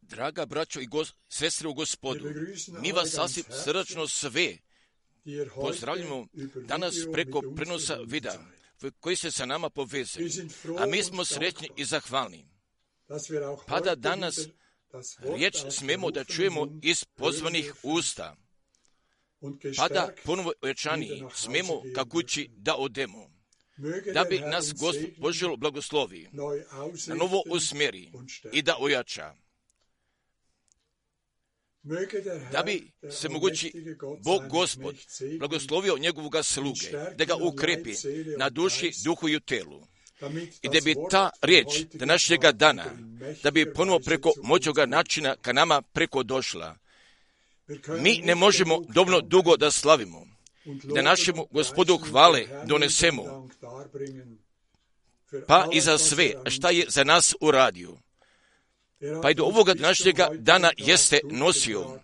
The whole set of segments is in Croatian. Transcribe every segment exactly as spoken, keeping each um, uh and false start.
Draga braćo i gos, sestre u Gospodu, mi vas sasvim srdačno sve pozdravljamo danas preko prenosa videa koji se sa nama povezuje, a mi smo sretni i zahvalni. Pa da danas riječ smemo da čujemo iz pozvanih usta, pa da ponovo ojačani smemo ka kući da odemo, da bi nas Gospod poželo blagoslovi, na novo usmjeri i da ojača. Da bi se mogući Bog Gospod blagoslovio njegovoga sluge, da ga ukrepi na duši, duhu i u telu. I da bi ta riječ današnjega dana, da bi ponovo preko moćoga načina ka nama preko došla. Mi ne možemo dovoljno dugo da slavimo, da našemu Gospodu hvale donesemo, pa i za sve šta je za nas uradio. Pa i do ovoga današnjega dana jeste nosio.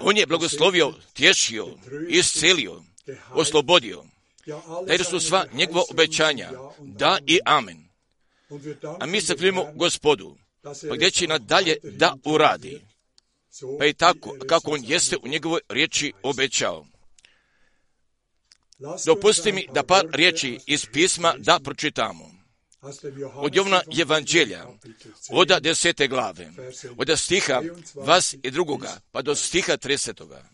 On je blagoslovio, tješio, iscelio, oslobodio. Da su sva njegova obećanja, da i amen. A mi se hvalimo Gospodu, pa gdje će nadalje da uradi. Pa i tako, kako on jeste u njegovoj riječi obećao. Dopusti mi da par riječi iz pisma da pročitamo. Od Jovana Evanđelja, od desete glave, od stiha vas i drugoga, pa do stiha tridesetoga.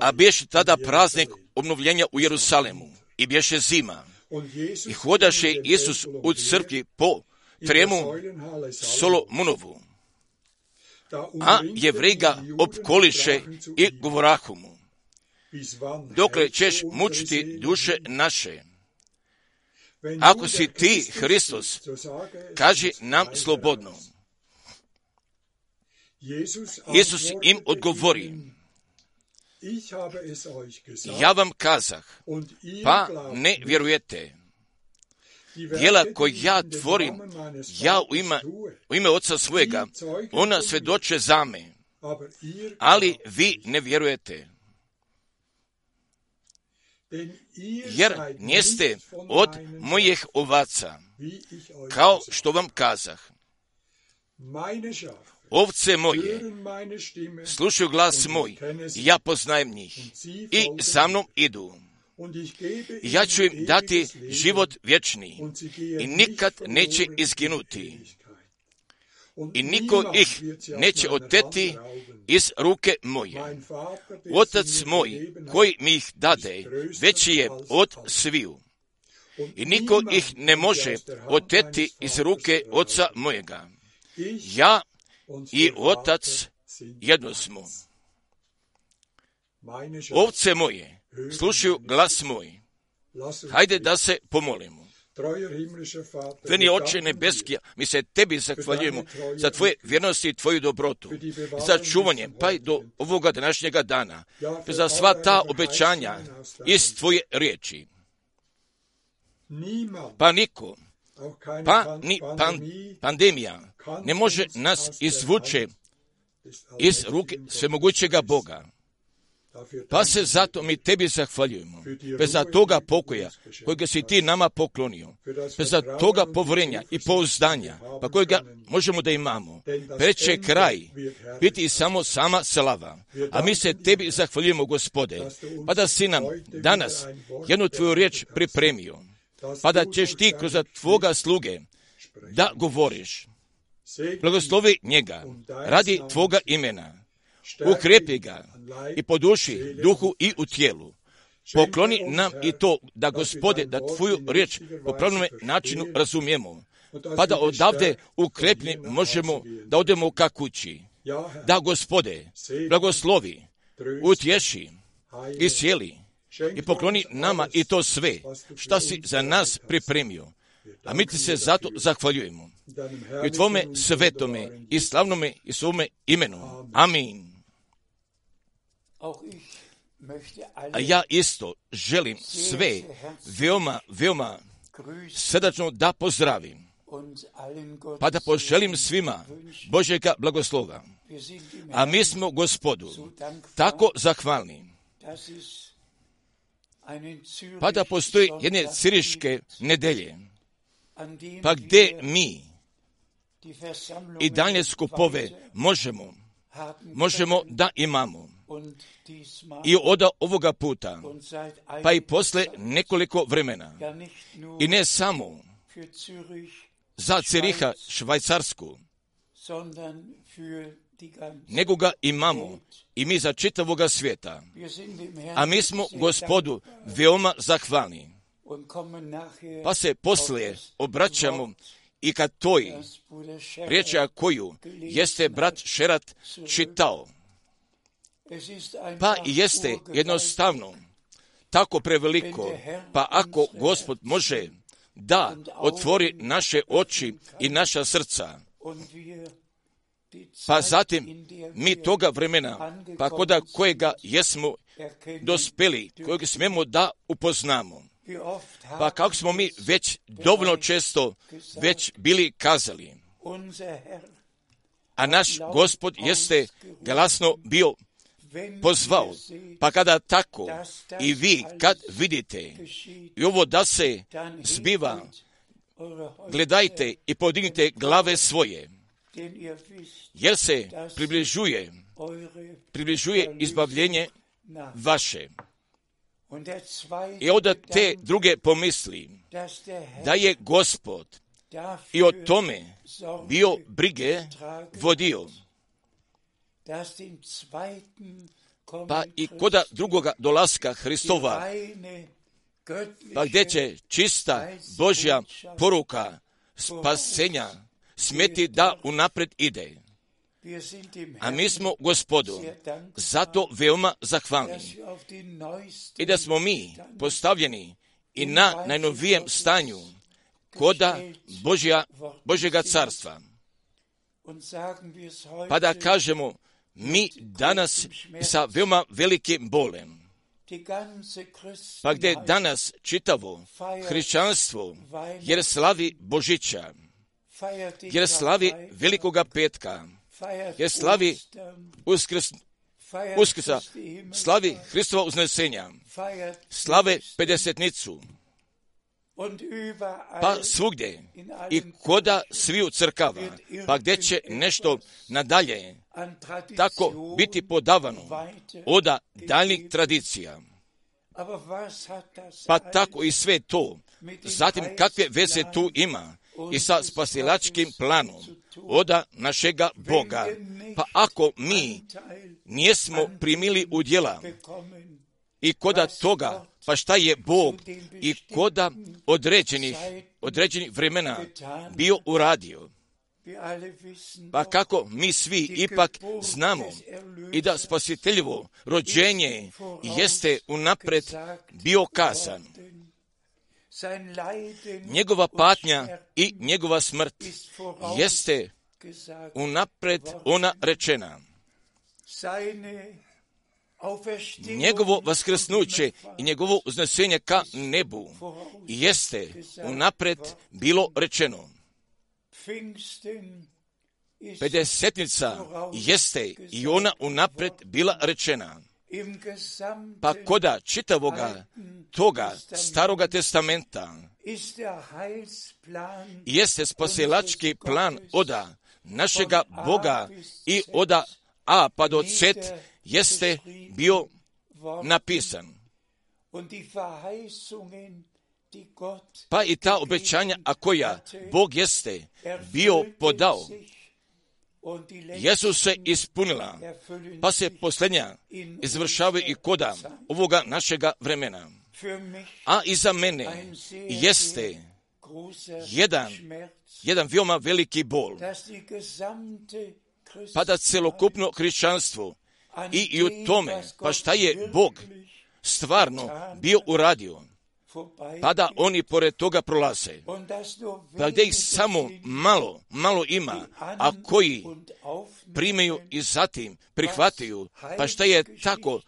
A bješe tada praznik obnovljenja u Jerusalemu i bješe zima. I hodaše Isus u crkvi po tremu Solomonovu. A Jevreji ga opkoliše i govorahu mu: dokle ćeš mučiti duše naše? Ako si ti Hristos, kaži nam slobodno. Isus im odgovori: ja vam kazah, pa ne vjerujete. Djela koje ja tvorim, ja u ime, u ime Oca svojega, ona svjedoče za me, ali vi ne vjerujete. Jer njeste od mojih ovaca, kao što vam kazah. Ovce moje slušaju glas moj, ja poznajem njih i za mnom idu. I ja ću im dati život vječni i nikad neće izginuti. I niko ih neće oteti iz ruke moje. Otac moj, koji mi ih dade, veći je od sviju. I niko ih ne može oteti iz ruke Oca mojega. Ja i Otac jedno smo. Ovce moje slušaju glas moj. Hajde da se pomolimo. Veni Oče nebeski, mi se tebi zahvaljujemo za tvoje vjernosti i tvoju dobrotu, za čuvanje, pa i do ovoga današnjega dana, za sva ta obećanja iz tvoje riječi. Pa niko, pa ni pan, pandemija ne može nas izvuče iz ruke svemogućega Boga. Pa se zato mi tebi zahvaljujemo, bez za toga pokoja kojega si ti nama poklonio, bez za toga povrenja i pouzdanja, pa kojega možemo da imamo. Preće kraj biti samo sama slava, a mi se tebi zahvaljujemo, Gospode, pa da si nam danas jednu tvoju riječ pripremio, pa da ćeš ti kroz tvoga sluge da govoriš. Blagoslovi njega radi tvoga imena. Ukrepi ga i po duši, duhu i u tijelu. Pokloni nam i to da, Gospode, da tvoju riječ po pravilnom načinu razumijemo, pa da odavde ukrepni možemo da odemo ka kući. Da, Gospode, blagoslovi, utješi, iscijeli i pokloni nama i to sve šta si za nas pripremio. A mi ti se zato zahvaljujemo. I tvome svetome i slavnome i svome imenu. Amin. A ja isto želim sve veoma, veoma srdačno da pozdravim, pa da poželim svima Božjega blagoslova. A mi smo Gospodu tako zahvalni, pa da postoji jedne ciriške nedelje, pa gdje mi i dalje skupove možemo, možemo da imamo. I od ovoga puta, pa i posle nekoliko vremena, i ne samo za Ciriha, Švajcarsku, nego ga imamo i mi za čitavoga svijeta. A mi smo Gospodu veoma zahvalni. Pa se poslije obraćamo i ka toj riječi koju jeste brat Šerat čitao. Pa jeste jednostavno tako preveliko, pa ako Gospod može da otvori naše oči i naša srca, pa zatim mi toga vremena, pa koda kojega jesmo dospeli, kojeg smemo da upoznamo. Pa kako smo mi već dovoljno često već bili kazali, a naš Gospod jeste glasno bio pozvao, pa kada tako i vi kad vidite i ovo da se zbiva, gledajte i podignite glave svoje, jer se približuje, približuje izbavljenje vaše. I onda te druge pomisli, da je Gospod i o tome bio brige vodio. Pa i koda drugoga dolaska Hristova, pa gdje će čista Božja poruka spasenja smeti da unapred ide. A mi smo Gospodu zato veoma zahvalni. I da smo mi postavljeni i na najnovijem stanju koda Božja, Božjega carstva. Pa da kažemo, mi danas sa veoma velikim bolem, pa gdje danas čitavo hrišćanstvo, jer slavi Božića, jer slavi Velikoga petka, jer slavi uskrs, uskrsa, slavi Hristova uznesenja, slave pedesetnicu, pa svugdje i koda sviju crkava, pa gdje će nešto nadalje tako biti podavano oda daljnjih tradicija. Pa tako i sve to, zatim kakve veze tu ima i sa spasilačkim planom oda našega Boga. Pa ako mi nijesmo primili udjela i koda toga, pa šta je Bog i koda određenih, određenih vremena bio uradio. Pa kako mi svi ipak znamo i da spasiteljevo rođenje jeste unapred bio kazan. Njegova patnja i njegova smrt jeste unapred ona rečena. Njegovo vaskrsnuće i njegovo uznesenje ka nebu jeste unapred bilo rečeno. Pedesetnica jeste i ona unapred bila rečena. Pa koda čitavoga toga staroga testamenta jeste spasilački plan oda našega Boga i oda A pa do Z jeste bio napisan. Pa i ta obećanja, a koja Bog jeste bio podao, jesu se ispunila, pa se posljednja izvršavaju i koda ovoga našega vremena. A i za mene jeste jedan, jedan veoma veliki bol, pa da celokupno hrišćanstvo i, i u tome, pa šta je Bog stvarno bio uradio, pa da oni pored toga prolaze, pa gdje ih samo malo, malo ima, a koji primaju i zatim prihvataju, pa šta je tako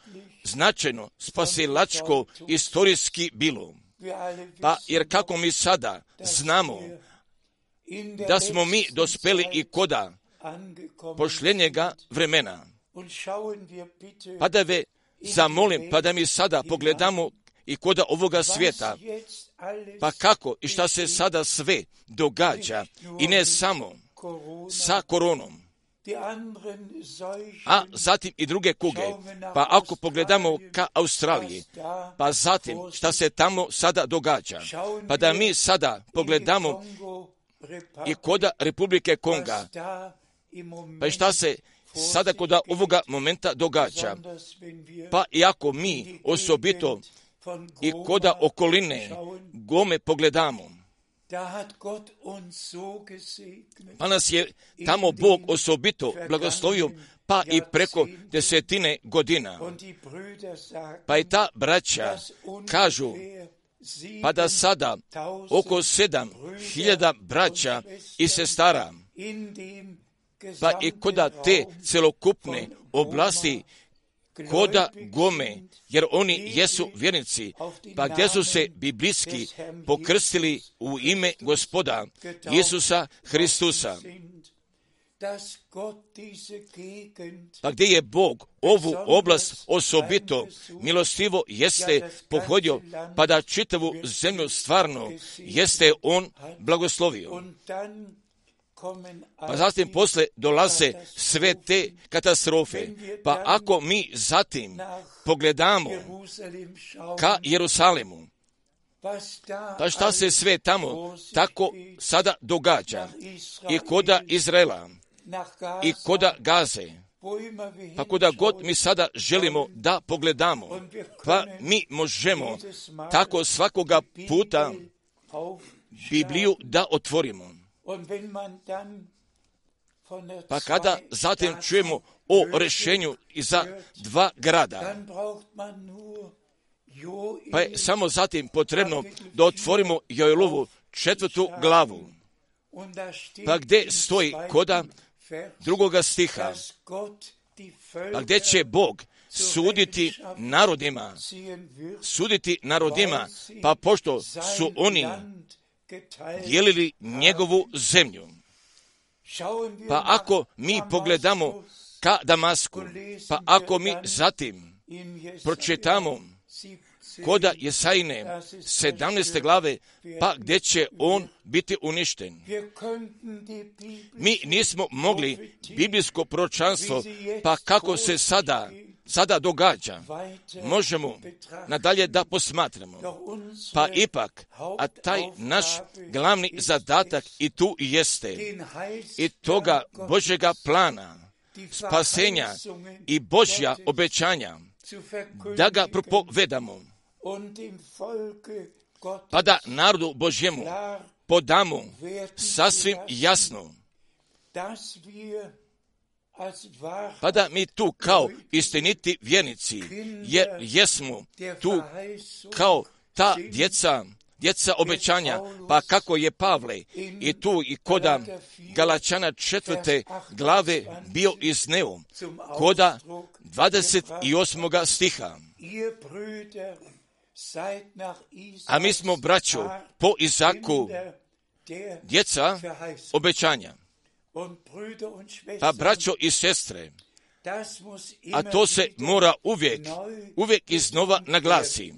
značajno spasilačko istorijski bilo. Pa jer kako mi sada znamo da smo mi dospeli i koda pošljenjega vremena, pa da ve zamolim, pa da mi sada pogledamo i koda ovoga svijeta. Pa kako i šta se sada sve događa, i ne samo sa koronom, a zatim i druge kuge. Pa ako pogledamo ka Australiji, pa zatim šta se tamo sada događa, pa da mi sada pogledamo i koda Republike Konga, pa i šta se sada koda ovoga momenta događa. Pa i ako mi osobito i koda okoline Gome pogledamo, pa nas je tamo Bog osobito blagoslovio, pa i preko desetine godina. Pa i ta braća kažu, pa da sada oko sedam hiljada braća i sestara, pa i koda te celokupne oblasti koda Gome, jer oni jesu vjernici, pa gdje su se biblijski pokrstili u ime Gospoda Isusa Hristusa. Pa gdje je Bog ovu oblast osobito milostivo jeste pohodio, pa da čitavu zemlju stvarno jeste on blagoslovio. Pa zatim posle dolaze sve te katastrofe. Pa ako mi zatim pogledamo ka Jerusalimu, pa šta se sve tamo tako sada događa i koda Izraela i koda Gaze, pa koda god mi sada želimo da pogledamo, pa mi možemo tako svakoga puta Bibliju da otvorimo. Pa kada zatim čujemo o rješenju i za dva grada, pa je samo zatim potrebno da otvorimo Joelovu četvrtu glavu, pa gdje stoji koda drugoga stiha, pa gdje će Bog suditi narodima, suditi narodima, pa pošto su oni dijelili njegovu zemlju. Pa ako mi pogledamo ka Damasku, pa ako mi zatim pročitamo koda Jesajine sedamnaeste glave, pa gdje će on biti uništen. Mi nismo mogli biblijsko proročanstvo, pa kako se sada sada događa, možemo nadalje da posmatramo. Pa ipak, a taj naš glavni zadatak i tu jeste, i toga Božjega plana, spasenja i Božja obećanja, da ga propovedamo, pa da narodu Božjemu podamo sasvim jasno, pa da mi tu kao istiniti vjernici, jer jesmo tu kao ta djeca, djeca obećanja, pa kako je Pavle i tu i koda Galačana četvrte glave bio izneo, koda dvadeset osmoga stiha. A mi smo, braćo, po Izaku, djeca obećanja. Pa braćo i sestre, a to se mora uvijek, uvijek iznova naglasi.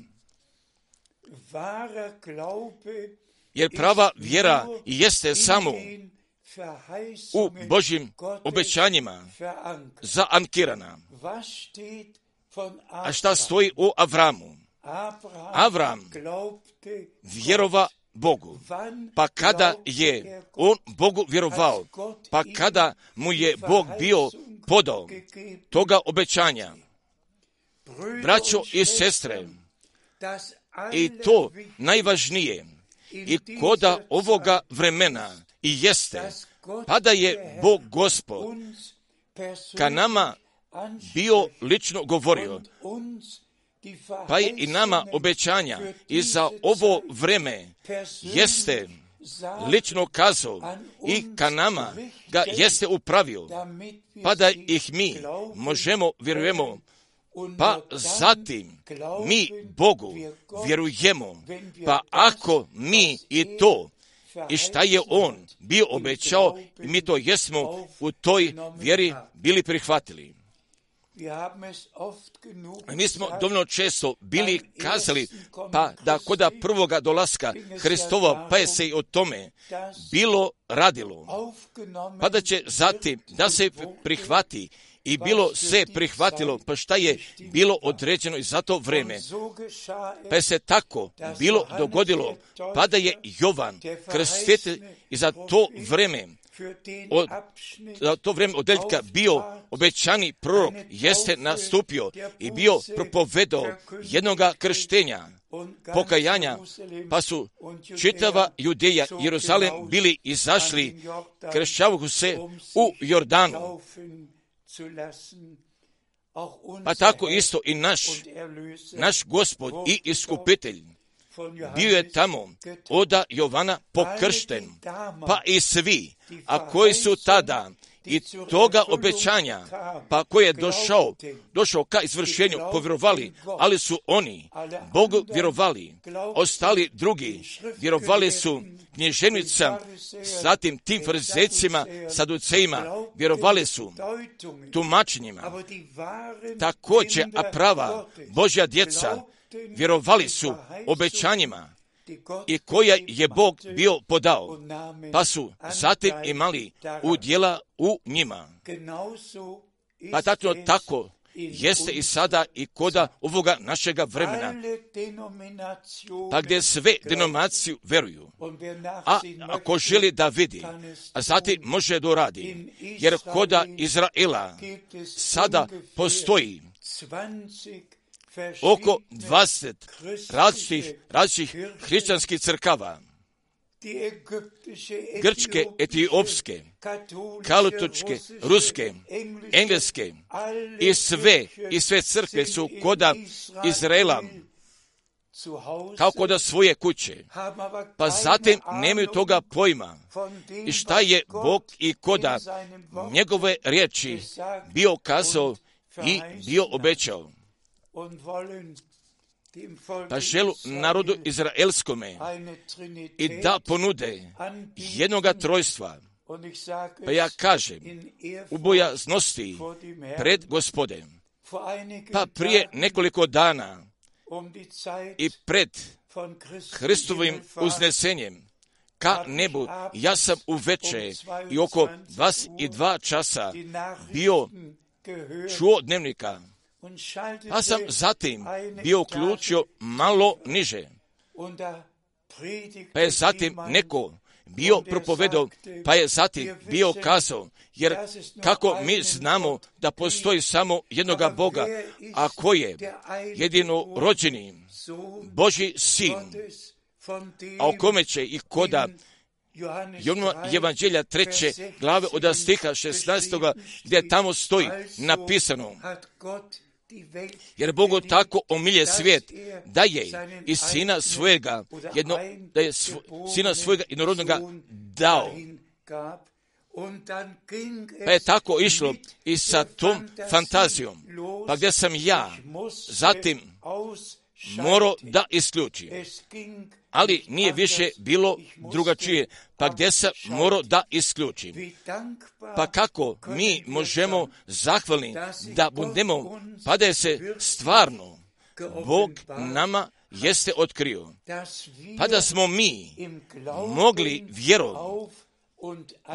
Jer prava vjera jeste samo u Božjim obećanjima zaankirana. A šta stoji u Avramu? Avram vjerova Bogu. Pa kada je on Bogu vjerovao, pa kada mu je Bog bio podao toga obećanja, braćo i sestre, i to najvažnije, i koda ovoga vremena i jeste, pa da je Bog Gospod ka nama bio lično govorio, pa je i nama obećanja i za ovo vreme jeste lično kazao i ka nama ga jeste upravio, pa da ih mi možemo vjerujemo, pa zatim mi Bogu vjerujemo, pa ako mi i to i šta je on bio obećao, mi to jesmo u toj vjeri bili prihvatili. Mi smo dovoljno često bili kazali, pa da kod prvoga dolaska Hristova, pa je se i o tome bilo radilo, pa da će zatim da se prihvati i bilo se prihvatilo, pa šta je bilo određeno i za to vreme. Pa je se tako bilo dogodilo, pa da je Jovan Krstitelj i za to vreme Od, za to vrijeme odeljka bio obećani prorok, jeste nastupio i bio propovedao jednoga krštenja, pokajanja, pa su čitava Judeja i Jeruzalem bili izašli, kršćavajući se u Jordanu. Pa tako isto i naš, naš Gospod i Iskupitelj bio je tamo oda Jovana pokršten, pa i svi, a koji su tada i toga obećanja, pa koji je došao, došao ka izvršenju, povjerovali, ali su oni Bogu vjerovali, ostali drugi vjerovali su književnicama, zatim tim farizejcima, saducejima, vjerovali su tumačenjima. Također, a prava Božja djeca vjerovali su obećanjima i koja je Bog bio podao, pa su zatim imali udjela u njima. Pa tako, tako jeste i sada i koda ovoga našega vremena, pa gdje sve denominaciju veruju, a ako želi da vidi, a zatim može doradi, jer koda Izraela sada postoji oko dvadeset različitih, različitih hrišćanskih crkava, grčke, etiopske, katoličke, ruske, engleske i sve, i sve crkve su koda Izraela, kao koda svoje kuće, pa zatim nemaju toga pojma i šta je Bog i koda njegove riječi bio kazao i bio obećao. Pa želu narodu izraelskome i da ponude jednoga trojstva. Pa ja kažem, u bojaznosti pred Gospodem, pa prije nekoliko dana i pred Hristovim uznesenjem ka nebu, ja sam uveče i oko dvadeset dva časa bio čuo dnevnika, pa sam zatim bio uključio malo niže, pa je zatim neko bio propovedao, pa je zatim bio kazao, jer kako mi znamo da postoji samo jednoga Boga, a ko je jedino rođeni Božji sin, a o kome će i koda Jovana Evanđelja treće glave od stiha šesnaestoga gdje tamo stoji napisano, jer Bogu tako omilje svijet da je i sina svojega jedno, da je svo, sina svojega jednorodnoga dao. Pa je tako išlo i sa tom fantazijom, pa gdje sam ja zatim morao da isključim, ali nije više bilo drugačije, pa gdje sam morao da isključim. Pa kako mi možemo zahvalni da budemo, pa da je se stvarno Bog nama jeste otkrio, pa da smo mi mogli vjerom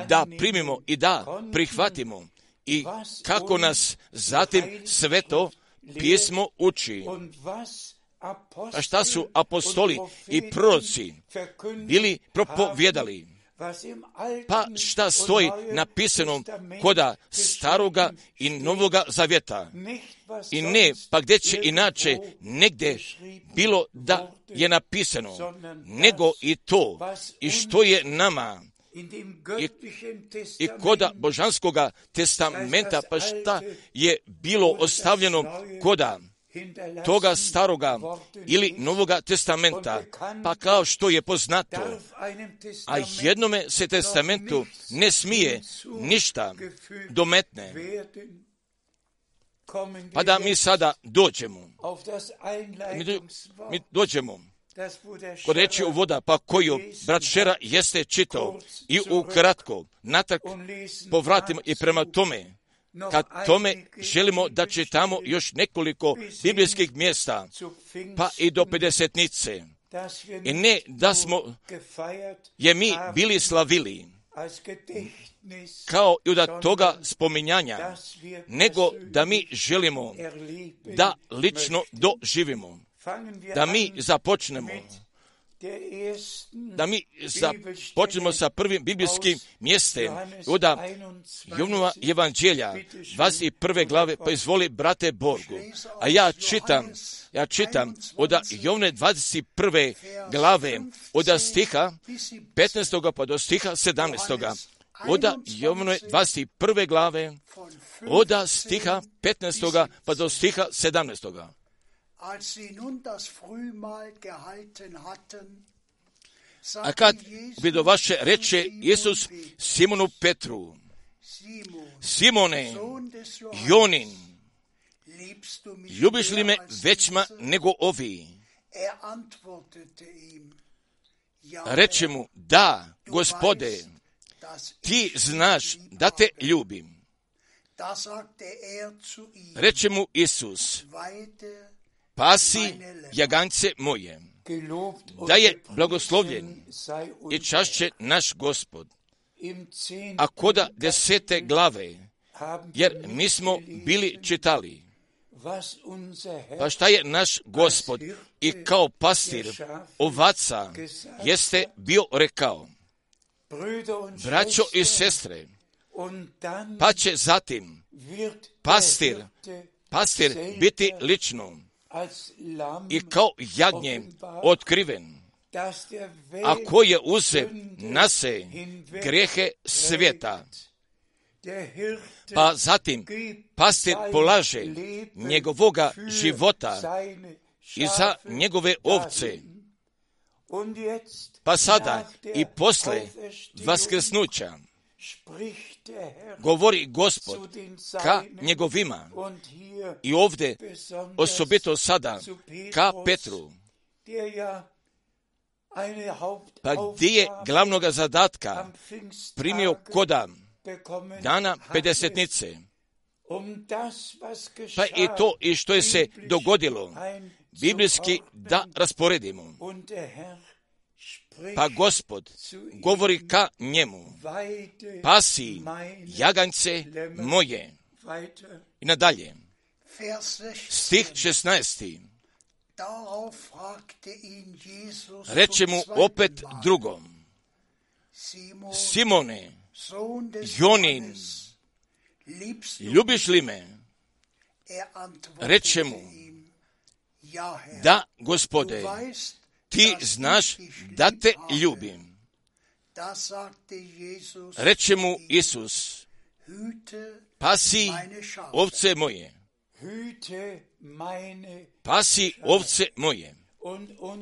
da primimo i da prihvatimo i kako nas zatim Sveto pismo uči. A šta su apostoli i proroci bili propovjedali? Pa šta stoji napisano koda staroga i novoga zavjeta? I ne, pa gdje će inače negdje bilo da je napisano, nego i to, i što je nama i, i koda božanskoga testamenta, pa šta je bilo ostavljeno koda toga staroga ili novoga testamenta, pa kao što je poznato, a jednome se testamentu ne smije ništa dometne. Pa da mi sada dođemo, mi, do, mi dođemo kod reći u voda, pa koju brat Šera jeste čitao i ukratko natak povratimo i prema tome kad tome želimo da čitamo još nekoliko biblijskih mjesta, pa i do pedesetnice. I ne da smo je mi bili slavili kao i od toga spominjanja, nego da mi želimo da lično doživimo, da mi započnemo, da mi započnemo sa prvim biblijskim mjestem od Jovnova evanđelja, dvadeset prve glave, pa izvoli, brate Borgu. A ja čitam, ja čitam od Jovne dvadeset prve glave, od stiha petnaestog pa do stiha sedamnaestog. Od Jovne dvadeset prve glave, od stiha petnaestog pa do stiha sedamnaestog. A kad bi do vaše reče Isus Simonu Petru: Simone, Jonin, ljubiš li me većma nego ovi? Reče mu: da, Gospode, ti znaš da te ljubim. Reče mu Isus: pasi jagance moje. Da je blagoslovljen i čašće naš Gospod. A koda desete glave, jer mi smo bili čitali, pa šta je naš Gospod i kao pastir ovaca jeste bio rekao: braćo i sestre, pa će zatim pastir, pastir biti lično i kao jagnje otkriven, a ko je uze na se grijehe svijeta. Pa zatim pastir polaže njegovoga života i za njegove ovce. Pa sada i posle vaskrsnuća govori Gospod ka njegovima, i ovdje osobito sada ka Petru. Pa gdje je glavnoga zadatka primio koda dana pedesetnice, pa i to i što je se dogodilo biblijski da rasporedimo. Pa Gospod govori ka njemu: pasi jagance moje. I nadalje, stih šesnaesti. Reče mu opet drugom: Simone, Jonin, ljubiš li me? Reče mu: da, Gospode, ti znaš da te ljubim. Reče mu Isus: pasi ovce moje. Pasi ovce moje.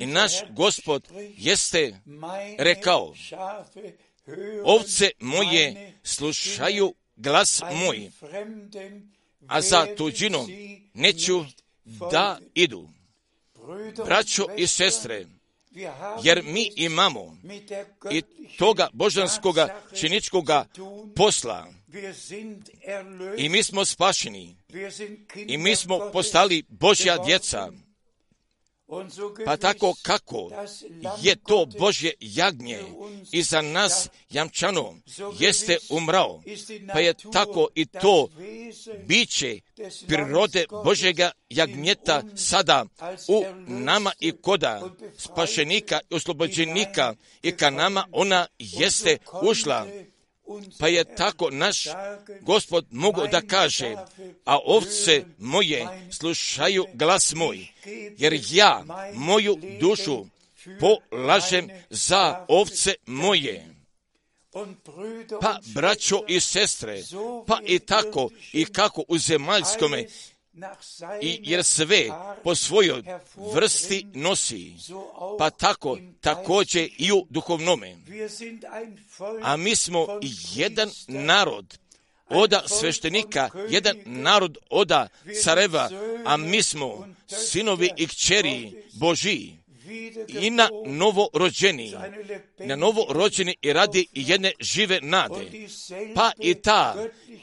I naš Gospod jeste rekao: ovce moje slušaju glas moj, a za tuđinom neću da idu. Braćo i sestre, jer mi imamo i toga božanskoga činičkoga posla, i mi smo spašeni, i mi smo postali Božja djeca. Pa tako kako je to Božje jagnje i za nas jamčano jeste umrao, pa je tako i to biće prirode Božjega jagnjeta sada u nama i koda spašenika i oslobođenika, i ka nama ona jeste ušla. Pa je tako naš Gospod mogao da kaže: a ovce moje slušaju glas moj, jer ja moju dušu polažem za ovce moje. Pa, braćo i sestre, pa i tako i kako u zemaljskome, i jer sve po svojoj vrsti nosi, pa tako također i u duhovnome. A mi smo jedan narod oda sveštenika, jedan narod oda careva, a mi smo sinovi i kćeri Božiji. i na novorođeni, na novorođeni i radi jedne žive nade. Pa i ta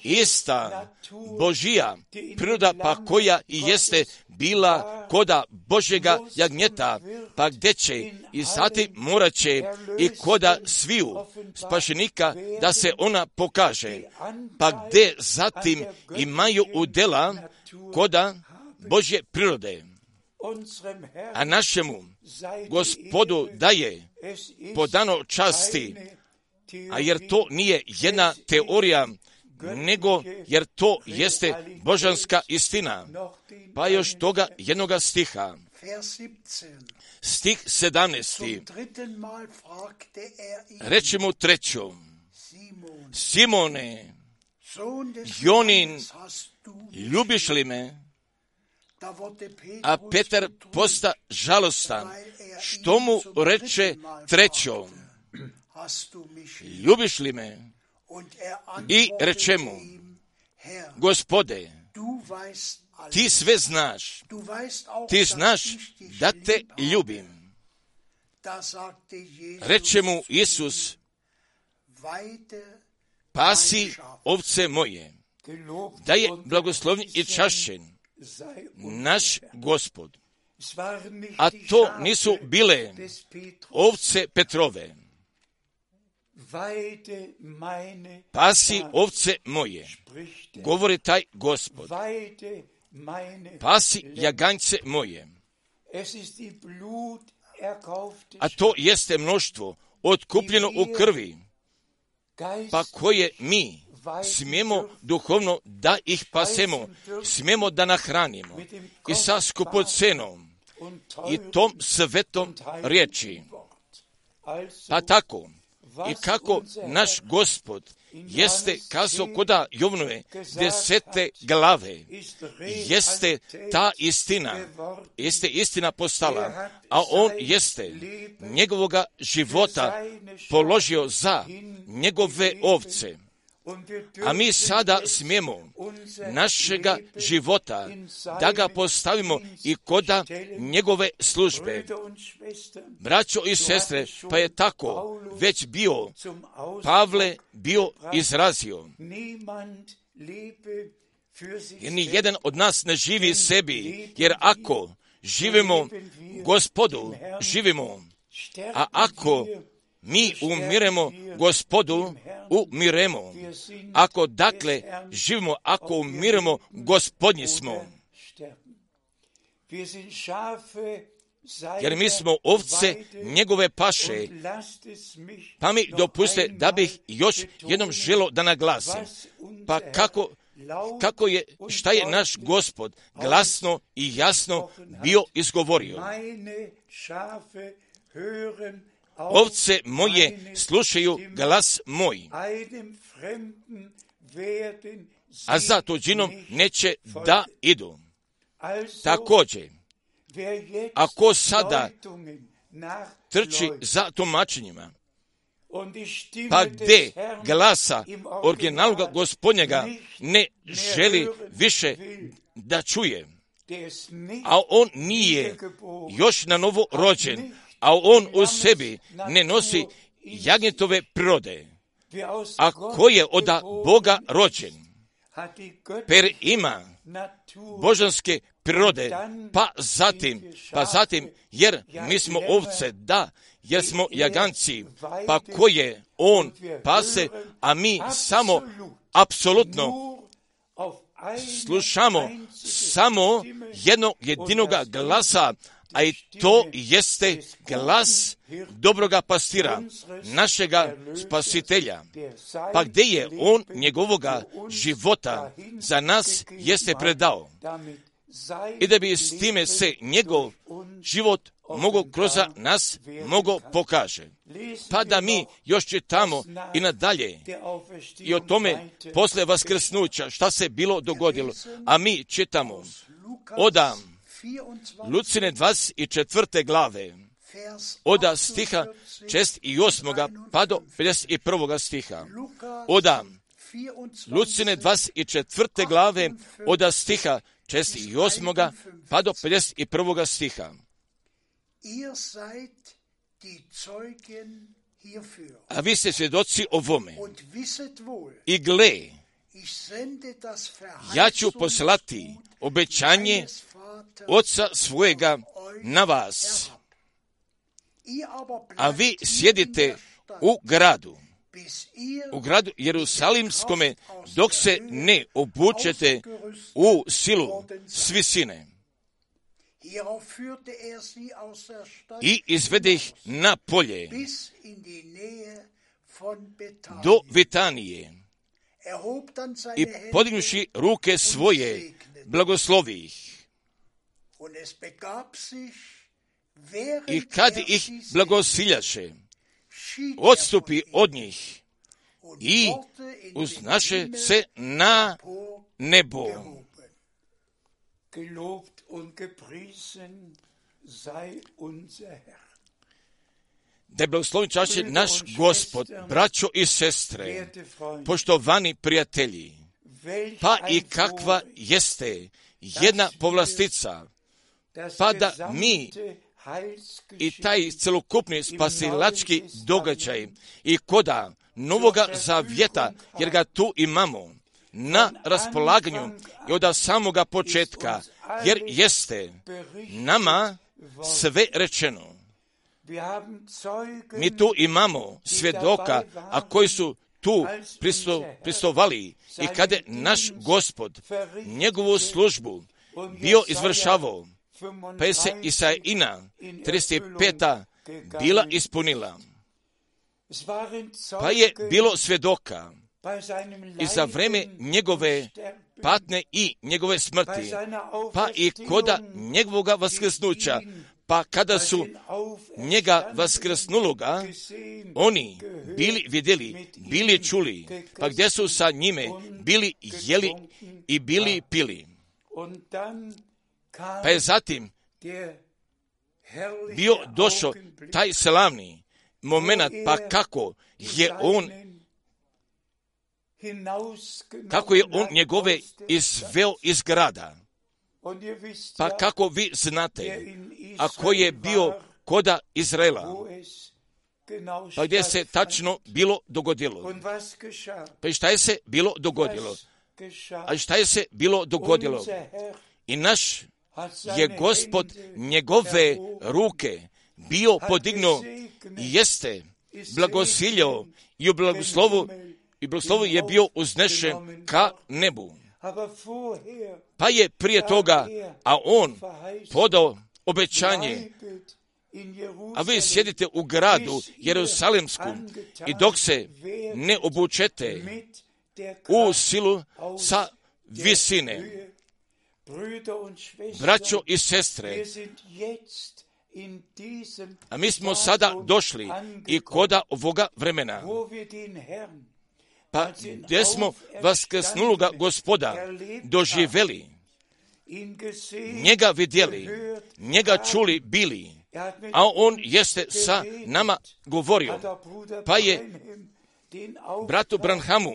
ista Božija priroda, pa koja i jeste bila koda Božjega jagnjeta, pa gdje će i sati morat će i koda sviju spašenika da se ona pokaže, pa gdje zatim imaju udjela koda Božje prirode. A našemu Gospodu daje podano časti, a jer to nije jedna teorija, nego jer to jeste božanska istina. Pa još toga jednoga stiha. Stih sedamnaesti. Reče mu treću: Simone, Jonin, ljubiš li me? A Petar posta žalostan, što mu reče trećom: Ljubiš li me? I reče mu: Gospode, ti sve znaš, ti znaš da te ljubim. Reče mu Isus: Pasi ovce moje. Da je blagoslovljen i čašćen naš Gospod. A to nisu bile ovce Petrove. Pasi ovce moje, govori taj Gospod. Pasi jaganjce moje. A to jeste mnoštvo otkupljeno u krvi, pa koje mi smijemo duhovno da ih pasemo, smijemo da nahranimo i sa skupocenom i tom svetom riječi. Pa tako, i kako naš Gospod jeste kazao koda Jovnove desete glave, jeste ta istina, jeste istina postala, a on jeste njegovoga života položio za njegove ovce. A mi sada smijemo našega života da ga postavimo i koda njegove službe. Braćo i sestre, pa je tako već bio Pavle bio izrazio. Jer ni jedan od nas ne živi sebi, jer ako živimo Gospodu, živimo, a ako mi umiremo Gospodu, umiremo. Ako dakle živimo, ako umiremo, Gospodnji smo. Jer mi smo ovce njegove paše. Pa mi dopuste da bih još jednom želio da naglasim. Pa kako, kako je, šta je naš Gospod glasno i jasno bio izgovorio. Ovce moje slušaju glas moj, a za tuđinom neće da idu. Također, ako sada trči za tumačenjima, pa gdje glasa originalnog Gospodnjega ne želi više da čuje, a on nije još na novo rođen, a on u sebi ne nosi jagnjetove prirode, a ko je od Boga rođen, per ima božanske prirode, pa zatim, pa zatim, jer mi smo ovce, da, jer smo jaganci, pa ko je on pase, a mi samo apsolutno slušamo samo jednog jedinoga glasa, a i to jeste glas dobroga pastira, našega spasitelja. Pa gdje je on njegovoga života za nas jeste predao. I da bi s time se njegov život mogo kroz nas mogo pokaže. Pa da mi još čitamo i nadalje i o tome posle vaskrsnuća šta se bilo dogodilo. A mi čitamo oda Lucine dvadeset četvrte glave, oda stiha šest i osmoga pa do pedeset prvoga stiha. Oda Lucine dvadeset četvrte glave, oda stiha šest i osmoga pa do pedeset prvoga stiha. A vi ste svjedoci ovome. I gle, ja ću poslati obećanje Oca svojega na vas, a vi sjedite u gradu, u gradu Jerusalimskome, dok se ne obučete u silu s visine. I izvede ih na polje do Vitanije i podignuši ruke svoje blagoslovi ih. I kad ih blagosiljaše, odstupi od njih i uznaše se na nebo. Gelobt und gepriesen sei unser Herr. Da je blagoslovljen čašće naš Gospod, braćo i sestre, poštovani prijatelji, pa i kakva jeste jedna povlastica, pa da mi i taj celokupni spasilački događaj i koda Novoga Zavjeta, jer ga tu imamo na raspolaganju i od samoga početka, jer jeste nama sve rečeno. Mi tu imamo svjedoka, a koji su tu pristo, pristovali i kada je naš Gospod njegovu službu bio izvršavao, pa je se Isaijina trideset peta bila ispunila. Pa je bilo svjedoka i za vreme njegove patnje i njegove smrti, pa i koda njegovoga vaskrsnuća, pa kada su njega vaskrsnuloga, oni bili vidjeli, bili čuli, pa gdje su sa njime bili jeli i bili pili. Pa je zatim bio došao taj slavni moment, pa kako je on kako je on njegove izveo iz grada. Pa kako vi znate, ako je bio koda Izraela, pa gdje se tačno bilo dogodilo. Pa i šta je se bilo dogodilo? A šta je se bilo dogodilo? I naš je Gospod njegove ruke bio podignuo i jeste blagosiljao i u blagoslovu i blagoslovu je bio uznešen ka nebu. Pa je prije toga, a on podao obećanje, a vi sjedite u gradu Jerusalimskom i dok se ne obučete u silu sa visine. Braćo i sestre, a mi smo sada došli i koda ovoga vremena, pa gdje smo vaskrsnuloga Gospoda doživjeli, njega vidjeli, njega čuli bili, a on jeste sa nama govorio, pa je bratu Branhamu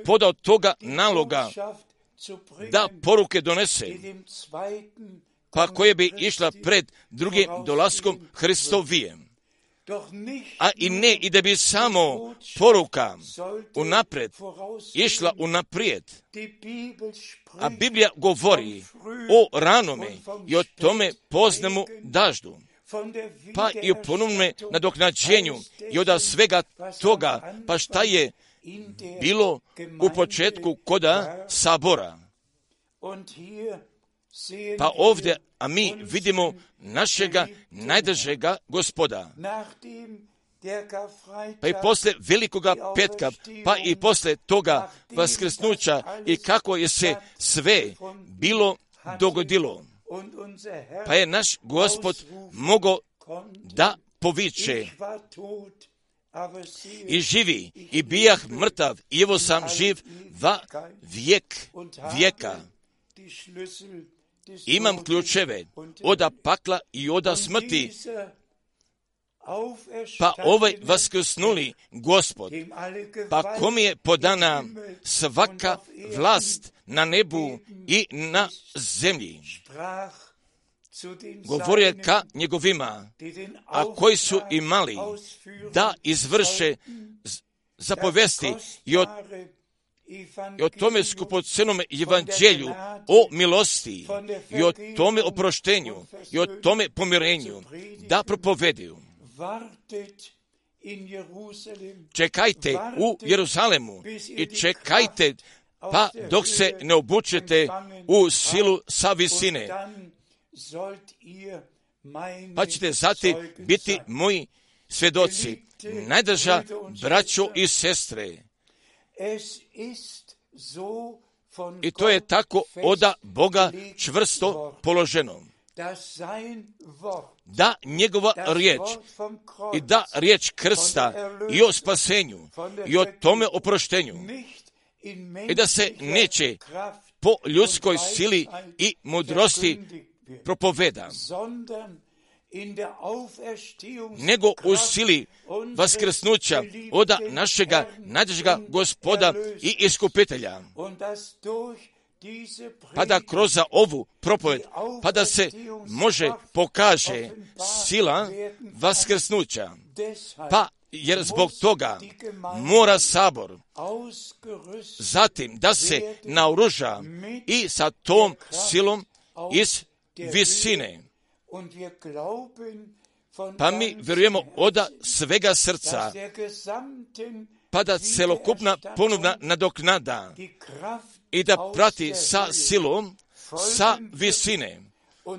podao toga naloga da poruke donese, pa koje bi išla pred drugim dolaskom Hristovijem. A i ne i da bi samo poruka unaprijed išla unaprijed. A Biblija govori o ranome i o tome poznemu daždu, pa i o ponovnome nadoknađenju i od svega toga, pa šta je bilo u početku koda sabora. Pa ovdje, a mi vidimo našega najdražega Gospoda. Pa i posle velikoga petka, pa i posle toga vaskrsnuća i kako je se sve bilo dogodilo. Pa je naš Gospod mogao da poviče i živi, i bijah mrtav, i evo sam živ va vijek vijeka. Imam ključeve oda pakla i oda smrti. Pa ovaj vaskrsnuli Gospod, pa kom je podana svaka vlast na nebu i na zemlji. govorio je ka njegovima, a koji su imali da izvrše zapovesti i o, i o tome skupocenom evanđelju, o milosti i o tome oproštenju i o tome pomirenju, da propovedaju. Čekajte u Jeruzalemu i čekajte pa dok se ne obučete u silu sa visine, pa ćete zatim biti moji svjedoci. Najdraža braćo i sestre, i to je tako oda Boga čvrsto položeno, da njegova riječ i da riječ krsta i o spasenju i o tome oproštenju i da se neće po ljudskoj sili i mudrosti propoveda, nego u sili vaskrsnuća oda našega najdražega Gospoda i Iskupitelja, pa da kroz ovu propoved, pa da se može pokaže sila vaskrsnuća, pa jer zbog toga mora sabor zatim da se naoruža i sa tom silom iz visine. Pa mi vjerujemo oda svega srca, pa da celokupna ponovna nadoknada i da prati sa silom sa visine,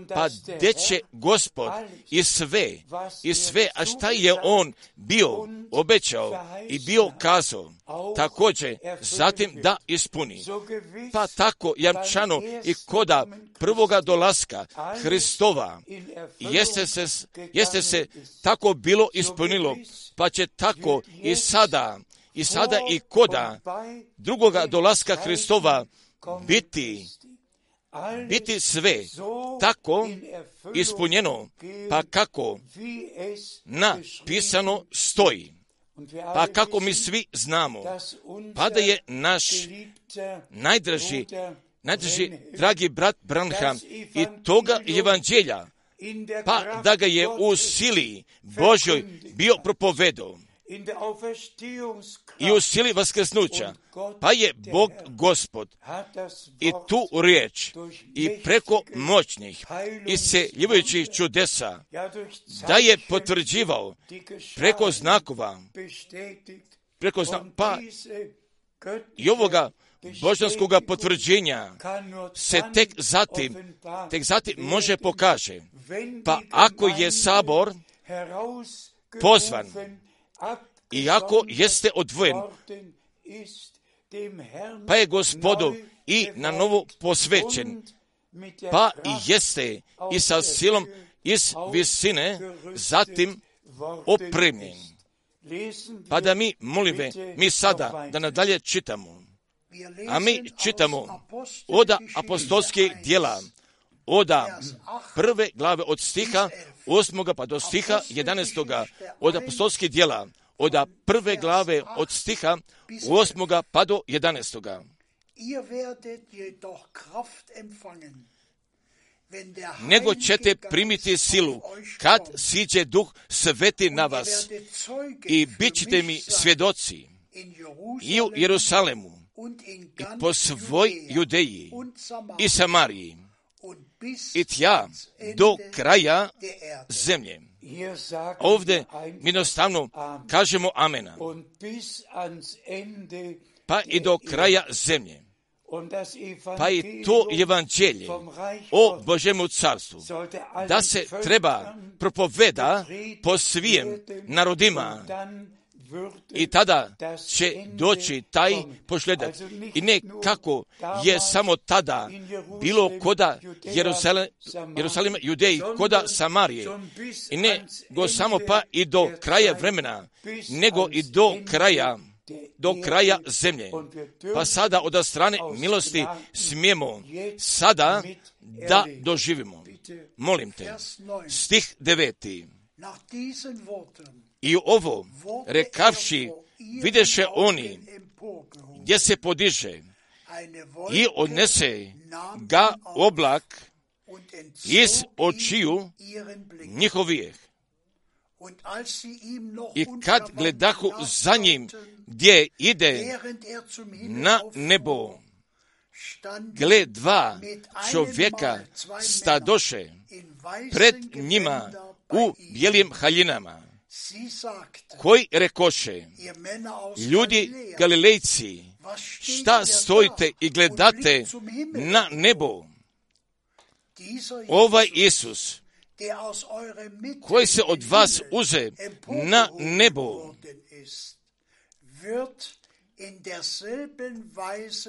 pa gdje će Gospod i sve, i sve, a šta je on bio obećao i bio kazao, također zatim da ispuni. Pa tako jamčano i koda prvoga dolaska Hristova jeste se, jeste se tako bilo ispunilo, pa će tako i sada, i sada i koda drugoga dolaska Hristova biti biti sve tako ispunjeno, pa kako napisano stoji, pa kako mi svi znamo, pa da je naš najdraži, najdraži dragi brat Branham i toga evanđelja, pa da ga je u sili Božoj bio propovedao i u sili vaskrsnuća, pa je Bog Gospod i tu riječ i preko moćnih isceljivajućih čudesa da je potvrđivao preko znakova, preko znakova, pa i ovoga božanskoga potvrđenja se tek zatim, tek zatim može pokaže. Pa ako je sabor pozvan, i ako jeste odvojen, pa je Gospodu i na novo posvećen, pa i jeste i sa silom iz visine zatim opremljen. Pa da mi, molim me, mi sada da nadalje čitamo, a mi čitamo oda apostolskih djela, oda prve glave od stiha osmoga pa do stiha jedanaestoga, od apostolskih djela, od prve glave od stiha osmoga pa do jedanaestoga. Nego ćete primiti silu kad siđe Duh Sveti na vas i bit ćete mi svjedoci i u Jerusalemu i po svoj Judeji i Samariji i tja do kraja zemlje. Ovdje jednostavno kažemo amena, pa i do kraja zemlje. Pa i to evanđelje o Božjemu carstvu, da se treba propoveda po svim narodima, i tada će doći taj pošljedak. I ne kako je samo tada bilo koda Jerusalem, Jerusalema, Judeji, koda Samarije. I ne go samo pa i do kraja vremena, nego i do kraja, do kraja zemlje. Pa sada od strane milosti smijemo sada da doživimo. Molim te, stih deveti. I ovo rekavši videše oni gdje se podiže i odnese ga oblak iz očiju njihovih. I kad gledahu za njim gdje ide na nebo, gle dva čovjeka stadoše pred njima u bijelim haljinama, koji rekoše: ljudi Galilejci, šta stojite i gledate na nebo? Ovaj Isus, koji se od vas uze na nebo,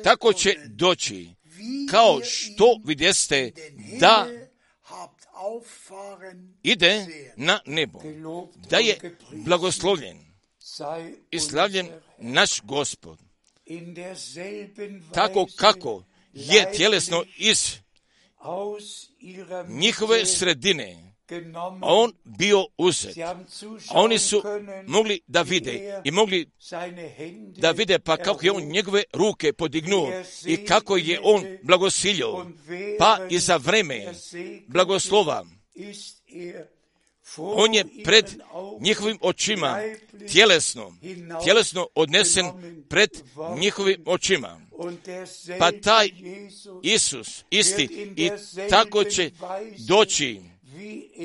tako će doći, kao što vidjeste da ide na nebo. Da je blagoslovljen i slavljen naš Gospod. Tako kako je tjelesno iz njihove sredine on bio uzet. A oni su mogli da vide i mogli da vide pa kako je on njegove ruke podignuo i kako je on blagosilio. Pa i za vreme blagoslova on je pred njihovim očima tjelesno, tjelesno odnesen pred njihovim očima. Pa taj Isus isti i tako će doći,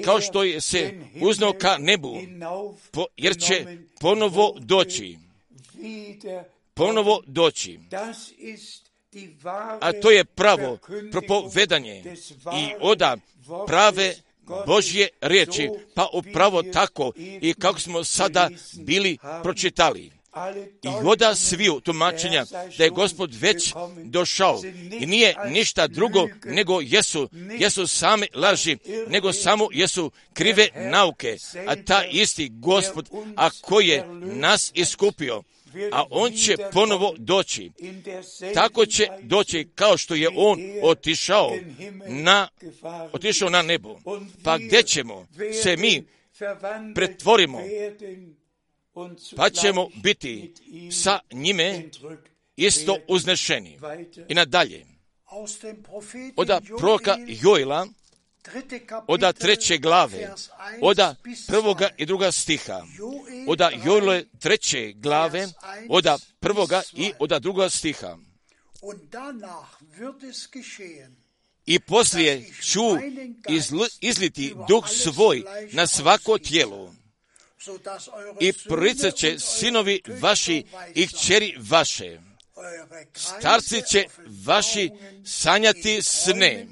kao što je se uznao ka nebu, po, jer će ponovo doći. Ponovo doći. A to je pravo propovedanje i oda prave Božje riječi, pa upravo tako i kako smo sada bili pročitali. I oda sviju tumačenja da je Gospod već došao i nije ništa drugo nego jesu, jesu same laži, nego samo jesu krive nauke, a ta isti Gospod, a koji je nas iskupio, a on će ponovo doći. Tako će doći kao što je on otišao na, otišao na nebo. Pa gdje ćemo se mi pretvorimo, pa ćemo biti sa njime isto uznešeni. I nadalje, oda proroka Joela, oda treće glave, oda prvoga i druga stiha, oda Joele treće glave, oda prvoga i oda druga stiha. I poslije ću izl, izliti duh svoj na svako tijelo, i proricat će sinovi vaši i kćeri vaše. Starci će vaši sanjati sne.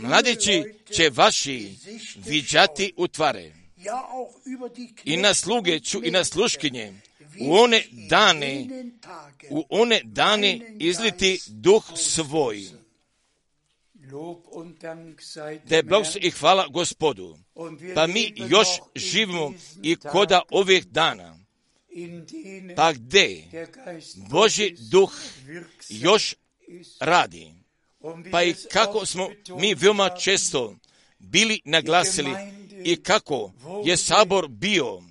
Mladići će vaši viđati utvare. I na sluge ću i na sluškinje u one dane, u one dane izliti duh svoj. Da je blagoslov i hvala Gospodu. Pa mi još živimo i koda ovih dana. Pa gdje Božji duh još radi. Pa i kako smo mi veoma često bili naglasili i kako je sabor bio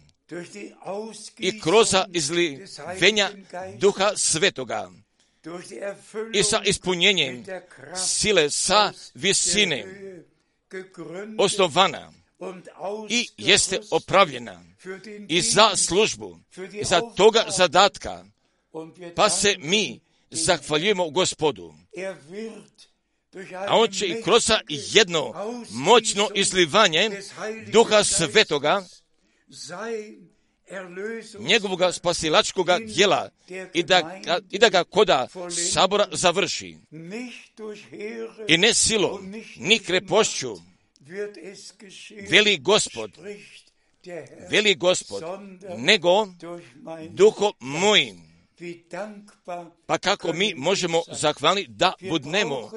i kroz izlivenja Duha Svetoga i sa ispunjenjem sile sa visine osnovana i jeste opravljena i za službu, i za toga zadatka, pa se mi zahvaljujemo Gospodu. A on će i kroz jedno moćno izlivanje Duha Svetoga, njegovoga spasilačkoga djela, i da, i da ga koda sabora završi. I ne silom, ni krepošću, veli Gospod, veli Gospod, nego duhom mojim. Pa kako mi možemo zahvaliti da budnemo?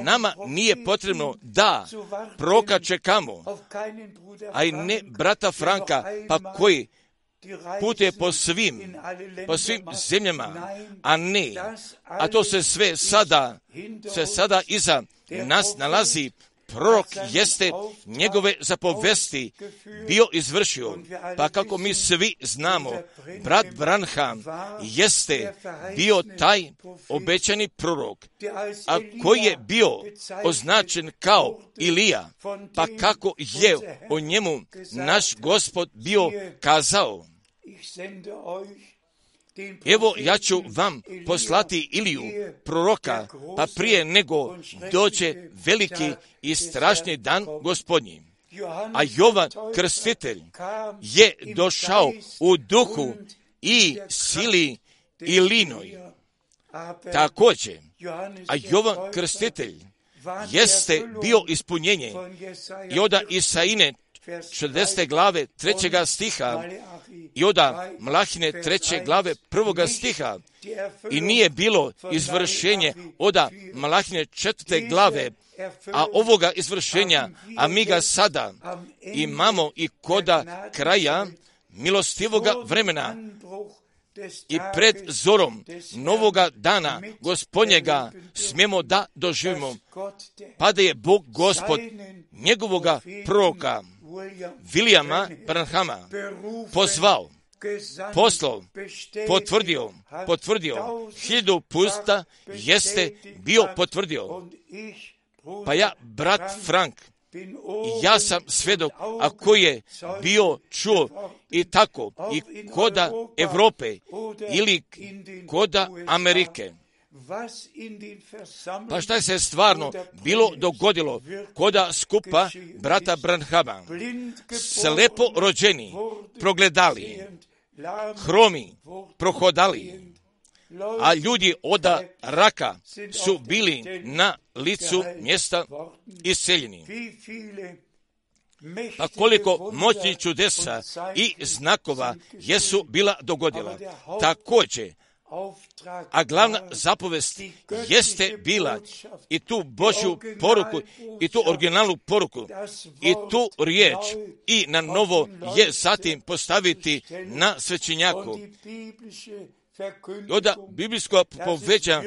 Nama nije potrebno da proroka čekamo, a i ne brata Franka, pa koji putuje po svim, po svim zemljama, a ne, a to se sve sada, se sada iza nas nalazi prorok jeste njegove zapovesti bio izvršio, pa kako mi svi znamo, brat Branham jeste bio taj obećani prorok, a koji je bio označen kao Ilija, pa kako je o njemu naš Gospod bio kazao. Evo, ja ću vam poslati Iliju, proroka, pa prije nego dođe veliki i strašni dan Gospodnji. A Jovan Krstitelj je došao u duhu i sili Ilinoj. Također, a Jovan Krstitelj jeste bio ispunjenje i oda Isaine četrdesete glave trećega stiha i oda Mlahine treće glave prvoga stiha, i nije bilo izvršenje oda Mlahine četvrte glave, a ovoga izvršenja, a mi ga sada imamo i koda kraja milostivoga vremena i pred zorom novoga dana Gospodnjega smijemo da doživimo, pa da je Bog Gospod njegovoga proroka Vilijama Branhama pozvao, poslao, potvrdio, potvrdio, hiljadu puta jeste bio potvrdio. Pa ja, brat Frank, ja sam svedok, a koji je bio čuo i tako, i koda Evrope ili koda Amerike. Pa šta se stvarno bilo dogodilo koda skupa brata Branhama? Slepo rođeni, progledali, hromi, prohodali, a ljudi oda raka su bili na licu mjesta iseljeni. Pa koliko moćnih čudesa i znakova jesu bila dogodila. Također, a glavna zapovest jeste bila i tu Božju poruku, i tu originalnu poruku, i tu riječ, i na novo je zatim postaviti na svećenjaku. Oda biblijsko poveća,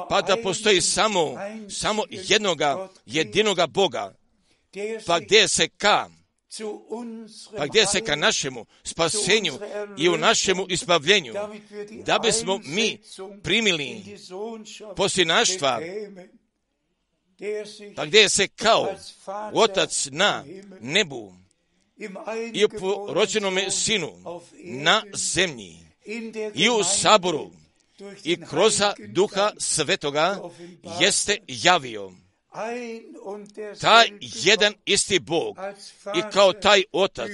pa da postoji samo, samo jednoga, jedinoga Boga, pa gdje se ka, pa gdje se ka našemu spasenju i u našemu izbavljenju, da bismo mi primili posinaštva, pa gdje se kao Otac na nebu i u porođenome Sinu na zemlji i u saboru i kroz Duha Svetoga jeste javio. Taj jedan isti Bog i kao taj Otac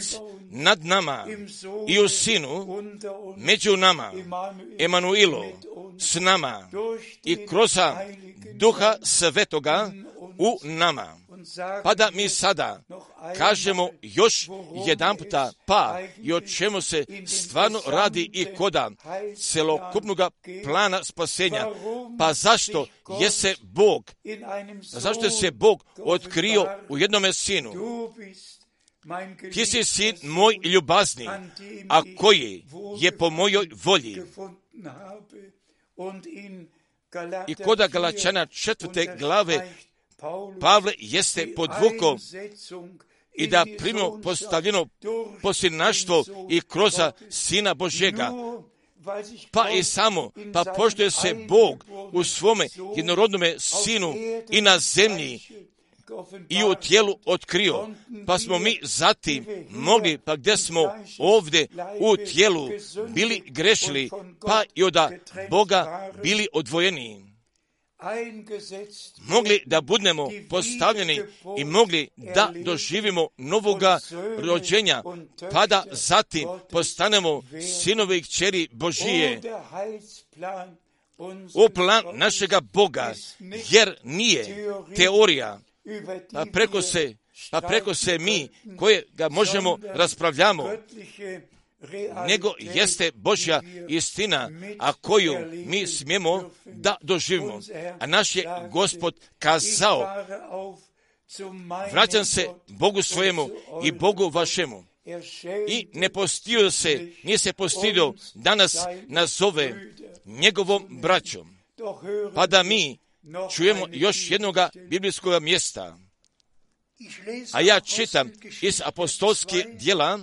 nad nama i u Sinu, među nama, Emanuilo, s nama i kroz Duha Svetoga u nama. Pa da mi sada kažemo još jedan puta, pa i o čemu se stvarno radi i koda celokupnog plana spasenja. Pa zašto je se Bog, pa zašto je se Bog otkrio u jednome Sinu? Ti si sin moj ljubazni, a koji je po mojoj volji. I koda Galačana četvrte glave Pavle jeste podvukao i da primimo postavljeno posinaštvo i kroz Sina Božjega. Pa i samo, pa pošto je se Bog u svome jednorodnome Sinu i na zemlji i u tijelu otkrio, pa smo mi zatim mogli, pa gdje smo ovdje u tijelu bili grešili, pa i od Boga bili odvojeni, mogli da budemo postavljeni i mogli da doživimo novoga rođenja, pa da zatim postanemo sinovi i kćeri Božije. U plan našega Boga, jer nije teorija, pa preko se, pa preko se mi koje ga možemo raspravljamo, nego jeste Božja istina, a koju mi smijemo da doživimo. A naš je Gospod kazao, vraćam se Bogu svojemu i Bogu vašemu. I ne postidio se, nije se postidio da nas nazove njegovom braćom. Pa da mi čujemo još jednoga biblijskog mjesta. A ja čitam iz apostolskih djela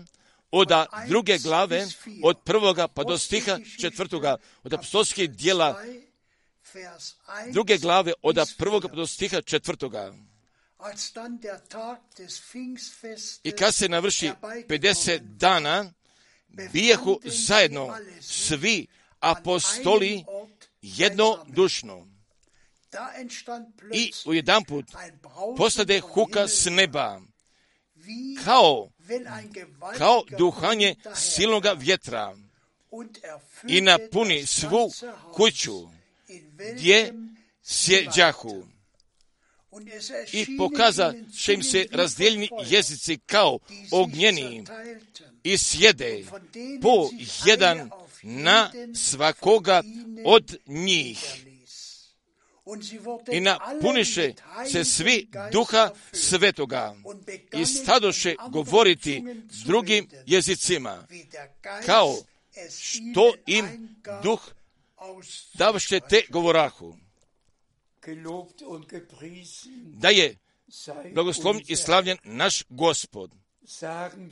od druge glave, od prvoga pa do stiha četvrtoga, od apostolskih djela druge glave, od prvoga pa do stiha četvrtoga. I kad se navrši pedeset dana, bijehu zajedno svi apostoli jednodušno. I ujedanput postade huka s neba, kao, kao duhanje silnoga vjetra, i napuni svu kuću gdje sjeđahu. I pokaza će im se razdijeljeni jezici kao ognjeni i sjede po jedan na svakoga od njih. I napuniše se svi duha svetoga i stadoše govoriti drugim jezicima, kao što im duh davše te govorahu. Da je blagoslovljen i slavljen naš Gospod,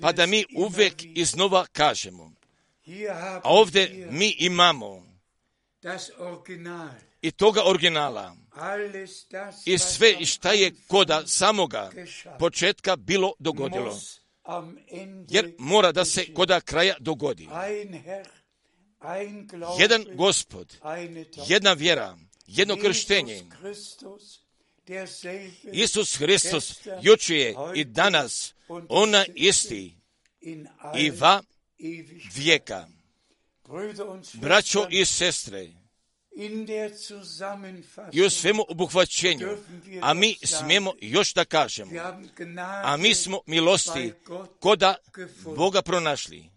pa da mi uvijek iznova kažemo, a ovdje mi imamo i toga originala i sve šta je koda samoga početka bilo dogodilo, jer mora da se koda kraja dogodi. Jedan Gospod, jedna vjera, jedno krštenje. Isus Hristos jučer je i danas ona isti i va vijeka. Braćo i sestre, i u svemu obuhvaćenju, a mi smijemo još da kažemo, a mi smo milosti koda Boga pronašli.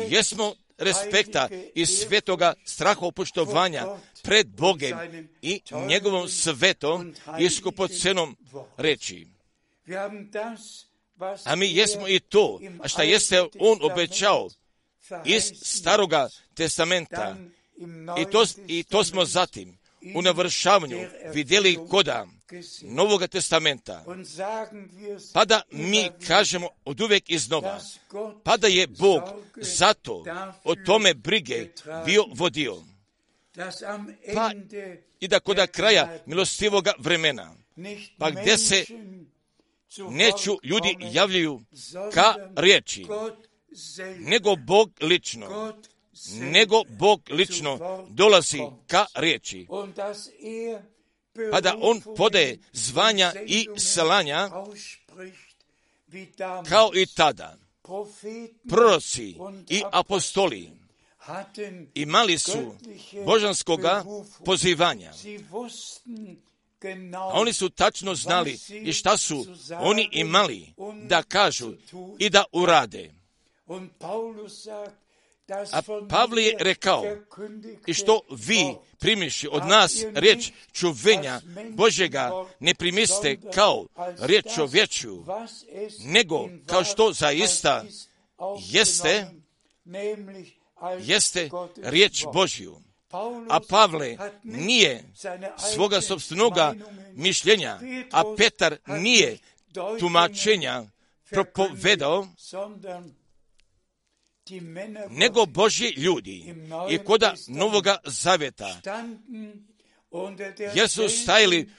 Jesmo respekta i svetoga strahopoštovanja pred Bogem i njegovom svetom i skupocenom reči. A mi jesmo i to, a šta jeste on obećao iz Staroga testamenta. I to, I to smo zatim u navršavanju vidjeli koda Novoga testamenta. Pa da mi kažemo od uvijek iznova, pa da je Bog zato o tome brige bio vodio. Pa i da koda kraja milostivoga vremena, pa gdje se neću ljudi javljaju ka riječi, nego Bog lično, nego Bog lično dolazi ka riječi, pa da on podaje zvanja i slanja kao i tada. Proroci i apostoli imali su božanskoga pozivanja. A oni su tačno znali i šta su oni imali da kažu i da urade. A Pavle je rekao, i što vi primiši od nas riječ čuvenja Božjega ne primiste kao riječ čovječju, nego kao što zaista jeste, jeste riječ Božju. A Pavle nije svoga sopstvenoga mišljenja, a Petar nije tumačenja propovedao, nego Božji ljudi i koda Novoga Zaveta, jer su stajali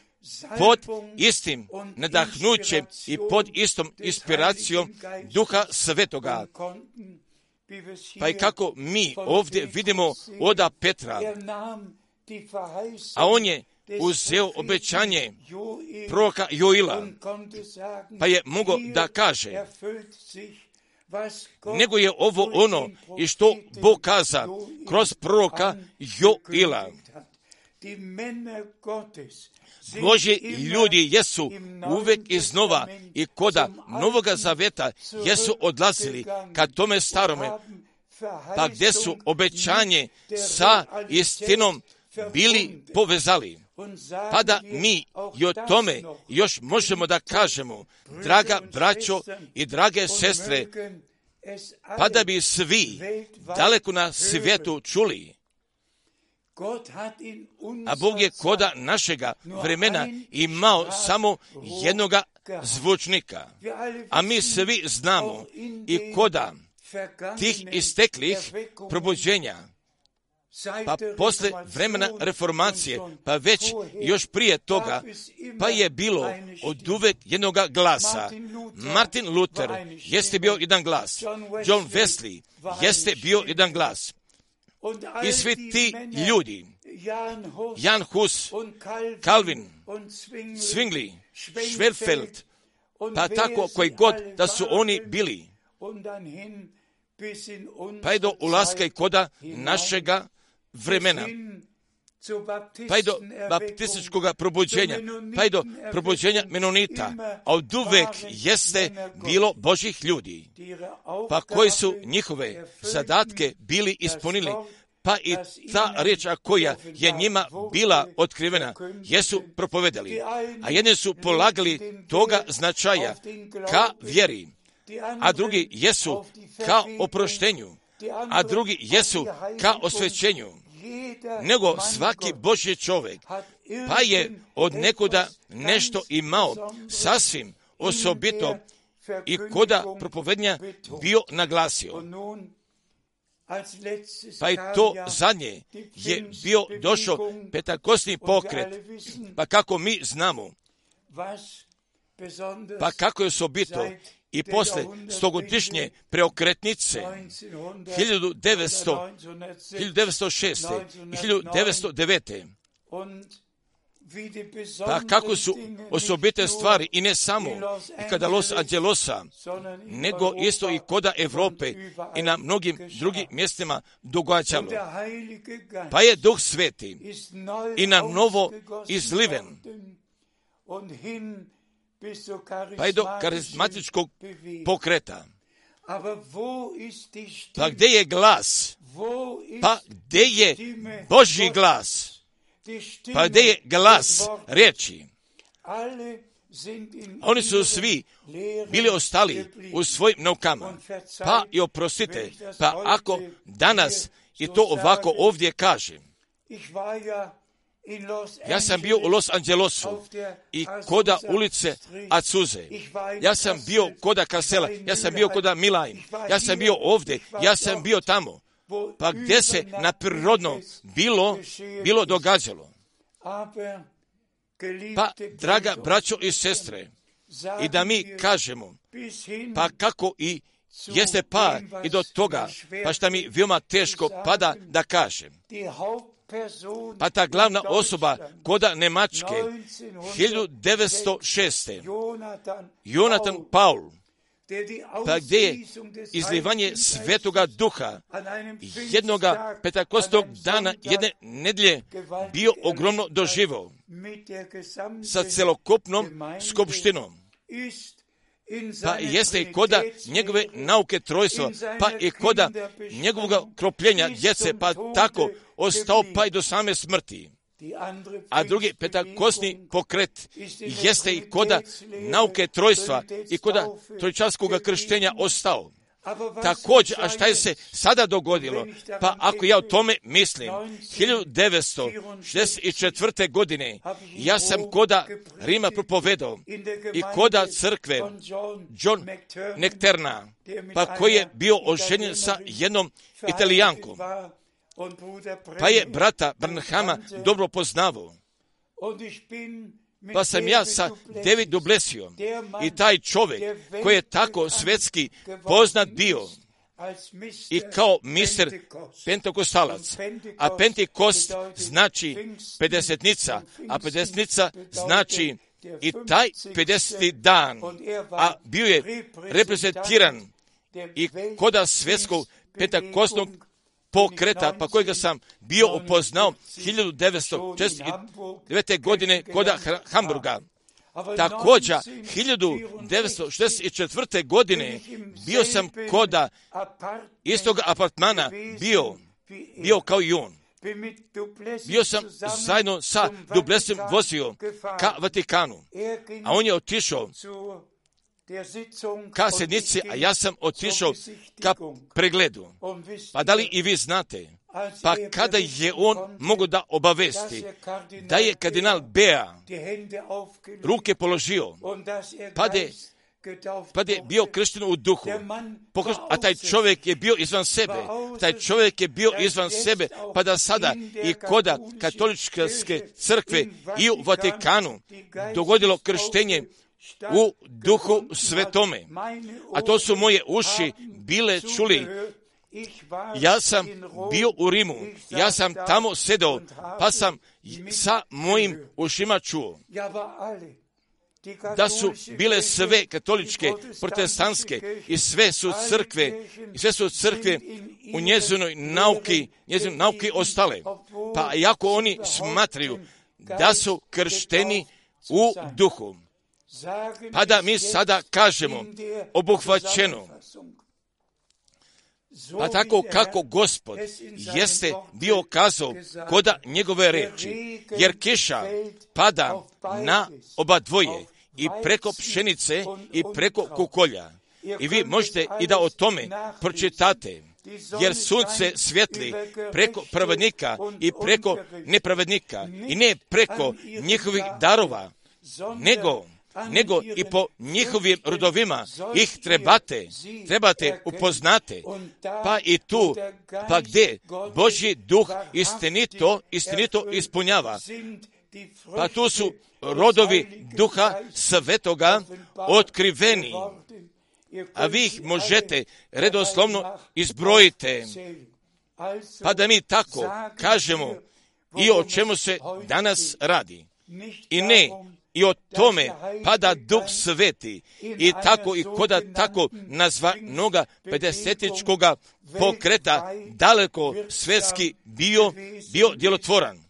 pod istim nadahnućem i pod istom inspiracijom Duha Svetoga. Pa i kako mi ovdje vidimo oda Petra, a on je uzeo obećanje proroka Joila, pa je mogao da kaže, nego je ovo ono i što Bog kaza kroz proroka Joila. Božji ljudi jesu uvijek iznova i koda Novoga Zaveta jesu odlazili ka tome starome, pa gdje su obećanje sa istinom bili povezali. Pa da mi i o tome još možemo da kažemo, draga braćo i drage sestre, pa da bi svi daleko na svijetu čuli. A Bog je koda našega vremena imao samo jednoga zvučnika. A mi svi znamo i koda tih isteklih probuđenja, pa posle vremena reformacije, pa već još prije toga, pa je bilo od uvek jednoga glasa. Martin Luther jeste bio jedan glas. John Wesley jeste bio jedan glas. I svi ti ljudi, Jan Hus, Calvin, Zwingli, Schwerfeld, pa tako koji god da su oni bili, pa je do ulaska i koda našega vremena, pa i do baptističkog probuđenja, pa i do probuđenja Menonita, a od uvek jeste bilo Božih ljudi, pa koji su njihove zadatke bili ispunili, pa i ta riječ koja je njima bila otkrivena, jesu propovedali, a jedni su polagali toga značaja ka vjeri, a drugi jesu ka oproštenju, a drugi jesu ka osvećenju. Nego svaki Božji čovjek, pa je od nekuda nešto imao sasvim osobito i koda propovednja bio naglasio. Pa i to zadnje je bio došao pentakostni pokret, pa kako mi znamo, pa kako je osobito i posle stogodišnje preokretnice hiljadu devetsto šeste i hiljadu devetsto devete. Pa kako su osobite stvari i ne samo i kada Los Angelosa, nego isto i koda Evrope i na mnogim drugim mjestima događalo. Pa je Duh Sveti i na novo izliven, pa je do karizmatičkog pokreta. Pa gdje je glas? Pa gdje je Božji glas? Pa gdje je glas riječi? Oni su svi bili ostali u svojim naukama. Pa i oprostite, pa ako danas i to ovako ovdje kažem, ja sam bio u Los Angelesu i koda ulice Azuze. Ja sam bio koda Kasela, ja sam bio koda Milajn, ja sam bio ovdje, ja sam bio tamo. Pa gdje se na prirodno bilo, bilo događalo. Pa, draga braćo i sestre, i da mi kažemo, pa kako i jeste pa i do toga, pa šta mi veoma teško pada da kažem. Pa ta glavna osoba koda Nemačke, hiljadu devetsto šeste. Jonatan Paul, pa gdje je izlivanje Svetoga Duha jednoga pentakostog dana, jedne nedjelje bio ogromno doživo sa celokupnom skupštinom. Pa jeste i koda njegove nauke trojstva, pa i koda njegovog kropljenja djece, pa tako ostao pa i do same smrti. A drugi pentakostni pokret jeste i koda nauke trojstva i koda trojčarskog krštenja ostao. Također, a šta je se sada dogodilo? Pa ako ja o tome mislim, hiljadu devetsto šezdeset četvrte. godine ja sam koda Rima propovedao i koda crkve John Necterna, pa koji je bio oženjen sa jednom Italijankom, pa je brata Branhama dobro poznavao. Pa sam ja sa David Dublesijom i taj čovjek koji je tako svetski poznat bio i kao mister pentekostalac, a pentekost znači pedesetnica, a pedesetnica znači i taj pedeseti dan, a bio je reprezentiran i koda svetskog pentekostnog pokreta, pa kojega sam bio upoznao hiljadu devetsto šezdeset devete. godine koda Hamburga. Također, hiljadu devetsto šezdeset četvrte. godine bio sam koda istog apartmana, bio, bio kao i on. Bio sam zajedno sa Dublesom vozio ka Vatikanu, a on je otišao ka sednici, a ja sam otišao ka pregledu. Pa da li i vi znate? Pa kada je on mogo da obavesti da je kardinal Bea ruke položio, pa de pa je bio kršten u duhu, a taj čovjek je bio izvan sebe, taj čovjek je bio izvan sebe, pa da sada i koda katoličke crkve i u Vatikanu dogodilo krštenje u duhu svetome, a to su moje uši bile čuli. Ja sam bio u Rimu, ja sam tamo sedao, pa sam sa mojim ušima čuo da su bile sve katoličke, protestantske i sve su crkve, i sve su crkve u njezinoj nauki, njezinoj nauki ostale. Pa iako oni smatraju da su kršteni u duhu, pa da mi sada kažemo obuhvaćeno, pa tako kako Gospod jeste bio kazao koda njegove reči, jer kiša pada na oba dvoje, i preko pšenice i preko kukolja. I vi možete i da o tome pročitate, jer sunce svijetli preko pravednika i preko nepravednika, i ne preko njihovih darova, nego nego i po njihovim rodovima ih trebate, trebate upoznate, pa i tu, pa gdje Božji duh istinito, istinito ispunjava, pa tu su rodovi duha svetoga otkriveni, a vi ih možete redoslovno izbrojite, pa da mi tako kažemo i o čemu se danas radi. I ne i o tome pada Duh Sveti i tako i koda tako nazvanoga pedesetičkoga pokreta daleko svetski bio, bio djelotvoran.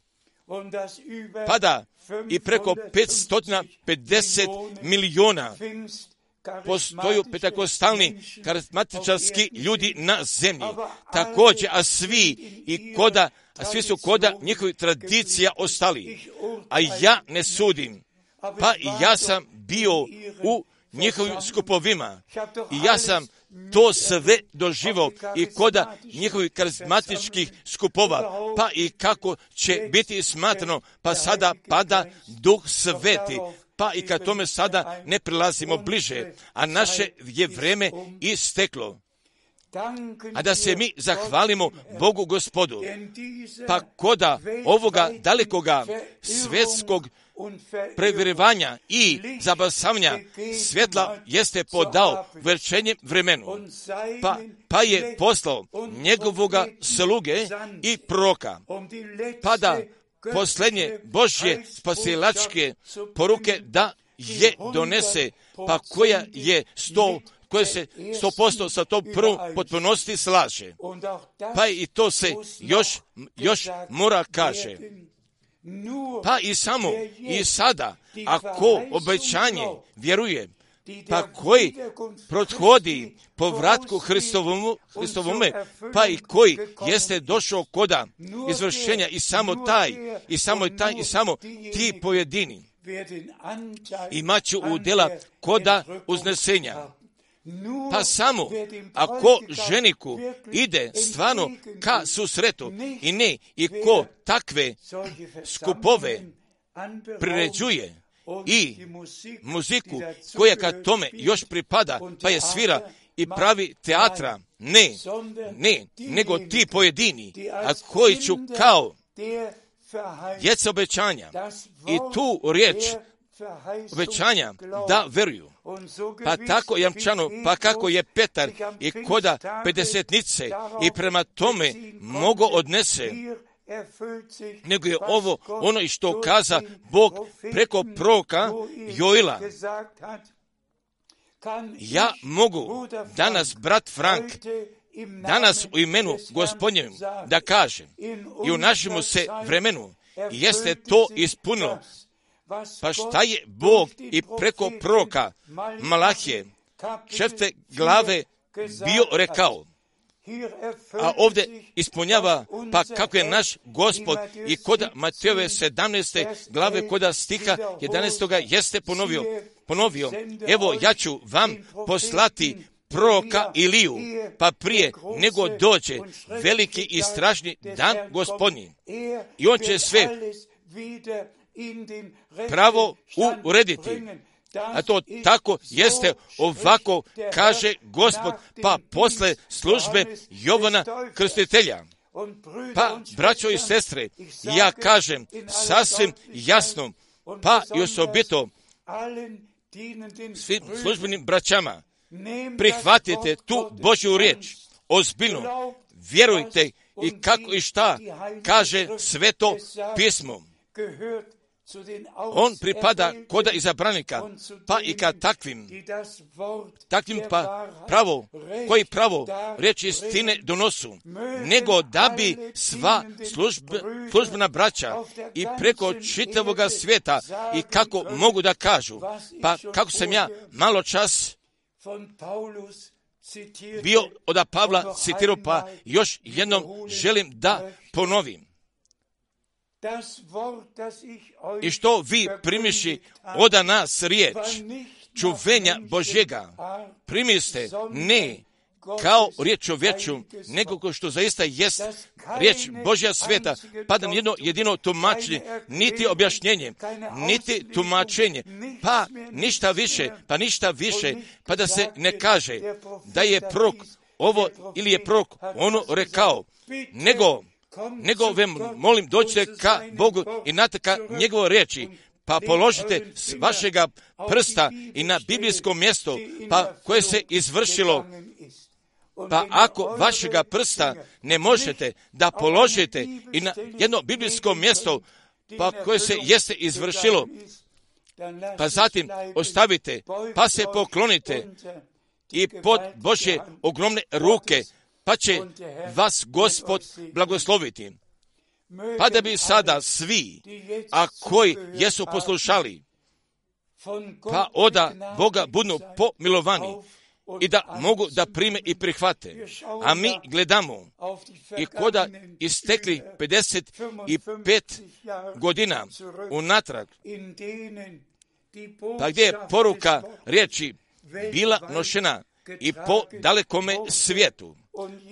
Pada i preko petsto pedeset milijuna postoju pentekostalni karizmatičarski ljudi na zemlji. Također, a svi i koda, a svi su koda njihovih tradicija ostali. A ja ne sudim. Pa ja sam bio u njihovim skupovima i ja sam to sve doživao i koda njihovih karizmatičkih skupova, pa i kako će biti smatrano, pa sada pada Duh Sveti, pa i kad tome sada ne prilazimo bliže, a naše je vreme isteklo. A da se mi zahvalimo Bogu Gospodu, pa koda ovoga dalekoga svjetskog previrivanja i zabasavanja svjetla jeste podao večernjem vremenu, pa, pa je poslao njegovoga sluge i proroka, pa da posljednje Božje spasilačke poruke da je donese, pa koja je sto koje se sto posto sa tom prvom potpunosti slaže. Pa i to se još, još mora kaže. Pa i samo i sada, ako obećanje vjeruje, pa koji prothodi povratku Hristovomu, Hristovome, pa i koji jeste došao koda izvršenja i samo taj, i samo taj, i samo ti pojedini imaću udjela koda uznesenja. Pa samo ako ženiku ide stvarno ka susretu i ne i ko takve skupove priređuje i muziku koja ka tome još pripada, pa je svira i pravi teatra, ne, ne, nego ti pojedini, a koji ću kao djeca obećanja i tu riječ obećanja da veruju. Pa tako jamčano, pa kako je Petar i koda pedesetnice i prema tome mogo odnese, nego je ovo ono i što kaza Bog preko proroka Joila. Ja mogu danas, brat Frank, danas u imenu Gospodnjevim da kažem i u našemu se vremenu jeste to ispunilo. Pa šta je Bog i preko proroka Malahije četvrte glave bio rekao? a ovdje ispunjava, pa kako je naš Gospod i kod Matejove sedamnaeste glave kod stiha jedanaestog jeste ponovio, ponovio, evo ja ću vam poslati proroka Iliju, pa prije nego dođe veliki i strašni dan Gospodnji. I on će sve pravo urediti. A to tako jeste, ovako kaže Gospod, pa posle službe Jovana Krstitelja. Pa, braćo i sestre, ja kažem sasvim jasno, pa i osobito svim službenim braćama, prihvatite tu Božju riječ, ozbiljno, vjerujte i kako i šta kaže Sveto pismo. On pripada koda izabranika, pa i kad takvim, takvim pa pravo, koji pravo riječ istine donosu, nego da bi sva službe, službena braća i preko čitavoga svijeta i kako mogu da kažu, pa kako sam ja malo čas bio od Pavla citirao, pa još jednom želim da ponovim. I što vi primiši od nas riječ čuvenja Božjega, primiste ne kao riječ čovječu, nego ko što zaista jest riječ Božja sveta, pa da jedno jedino tumačenje, niti objašnjenje, niti tumačenje, pa ništa više, pa ništa više, pa da se ne kaže da je prorok ovo ili je prorok ono rekao, nego nego vam molim dođite ka Bogu i nataka njegove riječi, pa položite s vašega prsta i na biblijsko mjesto, pa koje se izvršilo. Pa ako vašega prsta ne možete da položite i na jedno biblijsko mjesto, pa koje se jeste izvršilo, pa zatim ostavite, pa se poklonite i pod Božje ogromne ruke, pa će vas Gospod blagosloviti. Pa da bi sada svi, a koji jesu poslušali, pa oda Boga budu pomilovani i da mogu da prime i prihvate. A mi gledamo i koda istekli pedeset pet godina unatrag, pa gdje je poruka riječi bila nošena i po dalekome svijetu,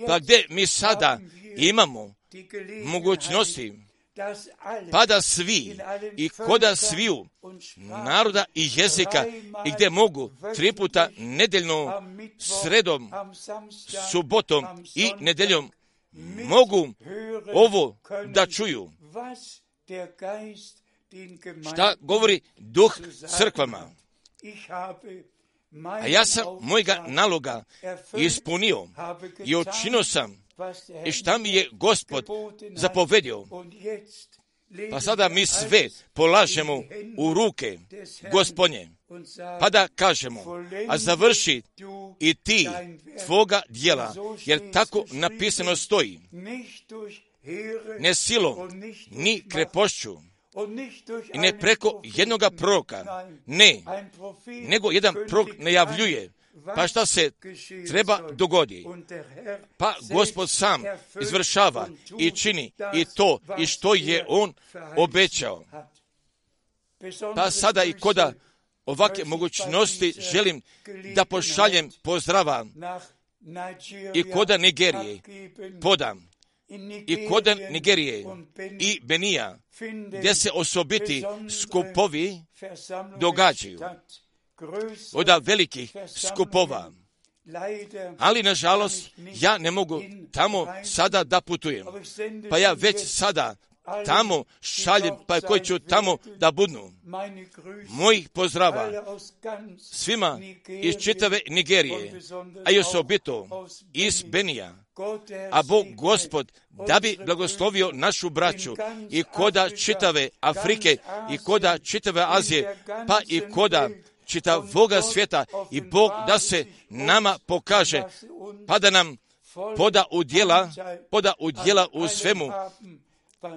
pa gdje mi sada imamo mogućnosti, pa da svi i koda sviju naroda i jezika i gdje mogu tri puta nedeljno, sredom, subotom i nedeljom mogu ovo da čuju. Šta govori Duh crkvama? A ja sam mojega naloga ispunio i učinio sam i šta mi je Gospod zapovedio. Pa sada mi sve polažemo u ruke Gospodnje, pa da kažemo, a završi i ti tvoga djela, jer tako napisano stoji, ne silom, ni krepošću, i ne preko jednoga proroka, ne, nego jedan prorok najavljuje, pa šta se treba dogodi. Pa Gospod sam izvršava i čini i to i što je On obećao. Pa sada i koda ovakve mogućnosti želim da pošaljem pozdrava i koda Nigerije podam, i koda Nigerije i Benija, gdje se osobiti skupovi događaju, od velikih skupova. Ali, nažalost, ja ne mogu tamo sada da putujem. Pa ja već sada tamo šaljem, pa koji ću tamo da budnu. Mojih pozdrava svima iz čitave Nigerije, a i osobito iz Benija. A Bog Gospod da bi blagoslovio našu braću i koda čitave Afrike i koda čitave Azije, pa i koda čitavoga svijeta, i Bog da se nama pokaže, pa da nam poda u djela, poda u djela u svemu,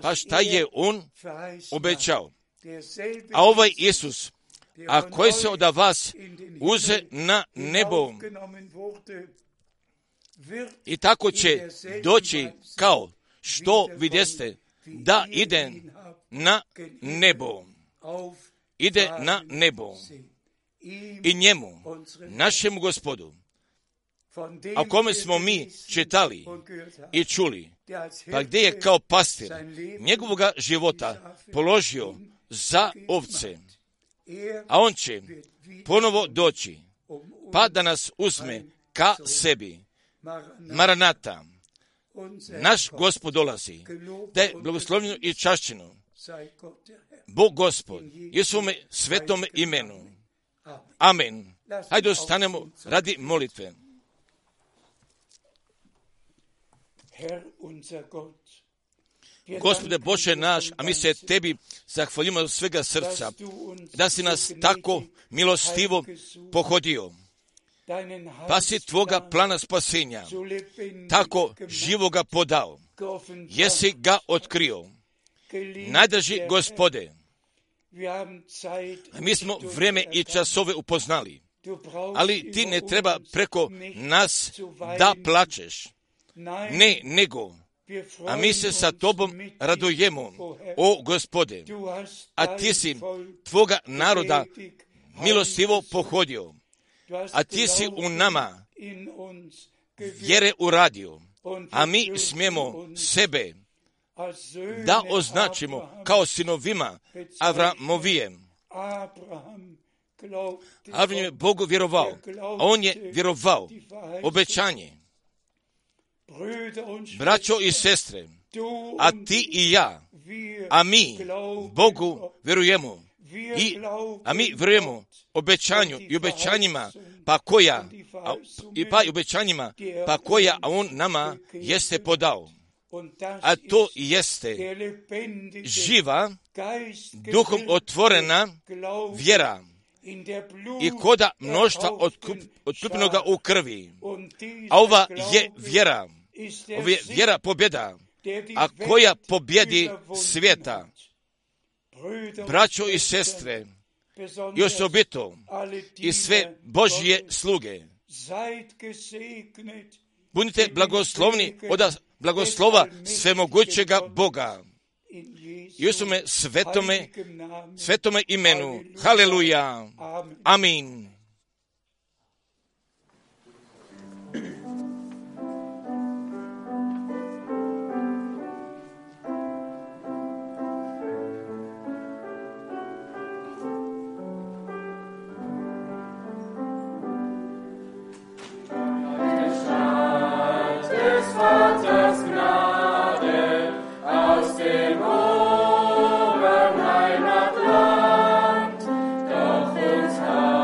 pa šta je On obećao. A ovaj Isus, a koji se od vas uze na nebo, I tako će doći kao što vidjeste da ide na nebo. Ide na nebo. I njemu, našemu Gospodu, o kome smo mi čitali i čuli, pa gdje je kao pastir njegovoga života položio za ovce, a on će ponovo doći, pa da nas uzme ka sebi. Maranata, naš Gospod dolazi, da je blagoslovljeno i čašćeno Bog Gospod i u svome svetome imenu. Amen. Hajde ostanemo radi molitve. Gospode Bože naš, a mi se tebi zahvaljujemo od svega srca, da si nas tako milostivo pohodio, pa si tvoga plana spasenja tako živoga podao, jesi ga otkrio. Najdraži Gospode, mi smo vrijeme i časove upoznali, ali ti ne treba preko nas da plačeš. Ne, nego, a mi se sa tobom radujemo, o Gospode, a ti si tvoga naroda milostivo pohodio, a ti si u nama vjere uradio, a mi smijemo sebe da označimo kao sinovima Avramovijem. Avram je Bogu vjerovao, a on je vjerovao obećanje. Braćo i sestre, a ti i ja, a mi Bogu vjerujemo, i, a mi vjerujemo obećanju i obećanjima pa koja, a, i pa i obećanjima pa koja a on nama jeste podao. A to jeste živa, duhom otvorena vjera i koda mnoštva otkupljenoga u krvi. A ova je vjera, ova je vjera pobjeda, a koja pobjedi svijeta. Braćo i sestre, i osobito i sve Božje sluge, budite blagoslovni od blagoslova svemogućega Boga i u svome svetome, svetome imenu. Haleluja. Amin. Doch uns hat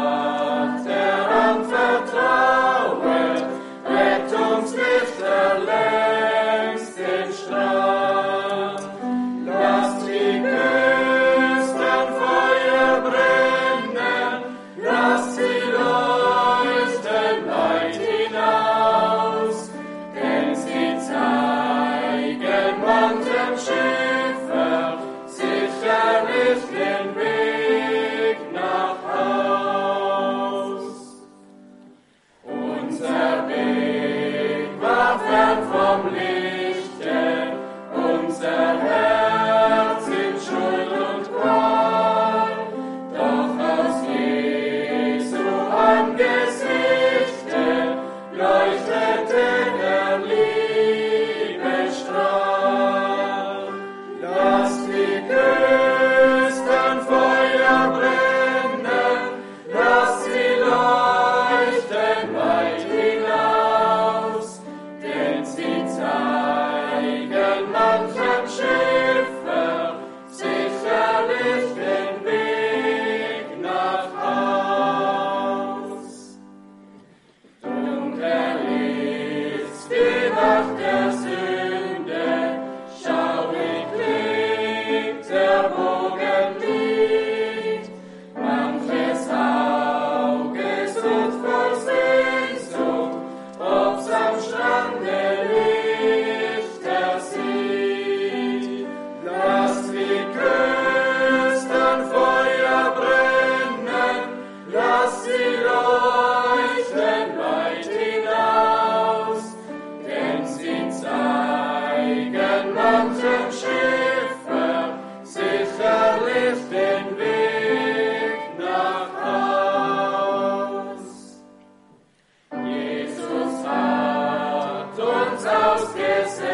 ausgesetzt.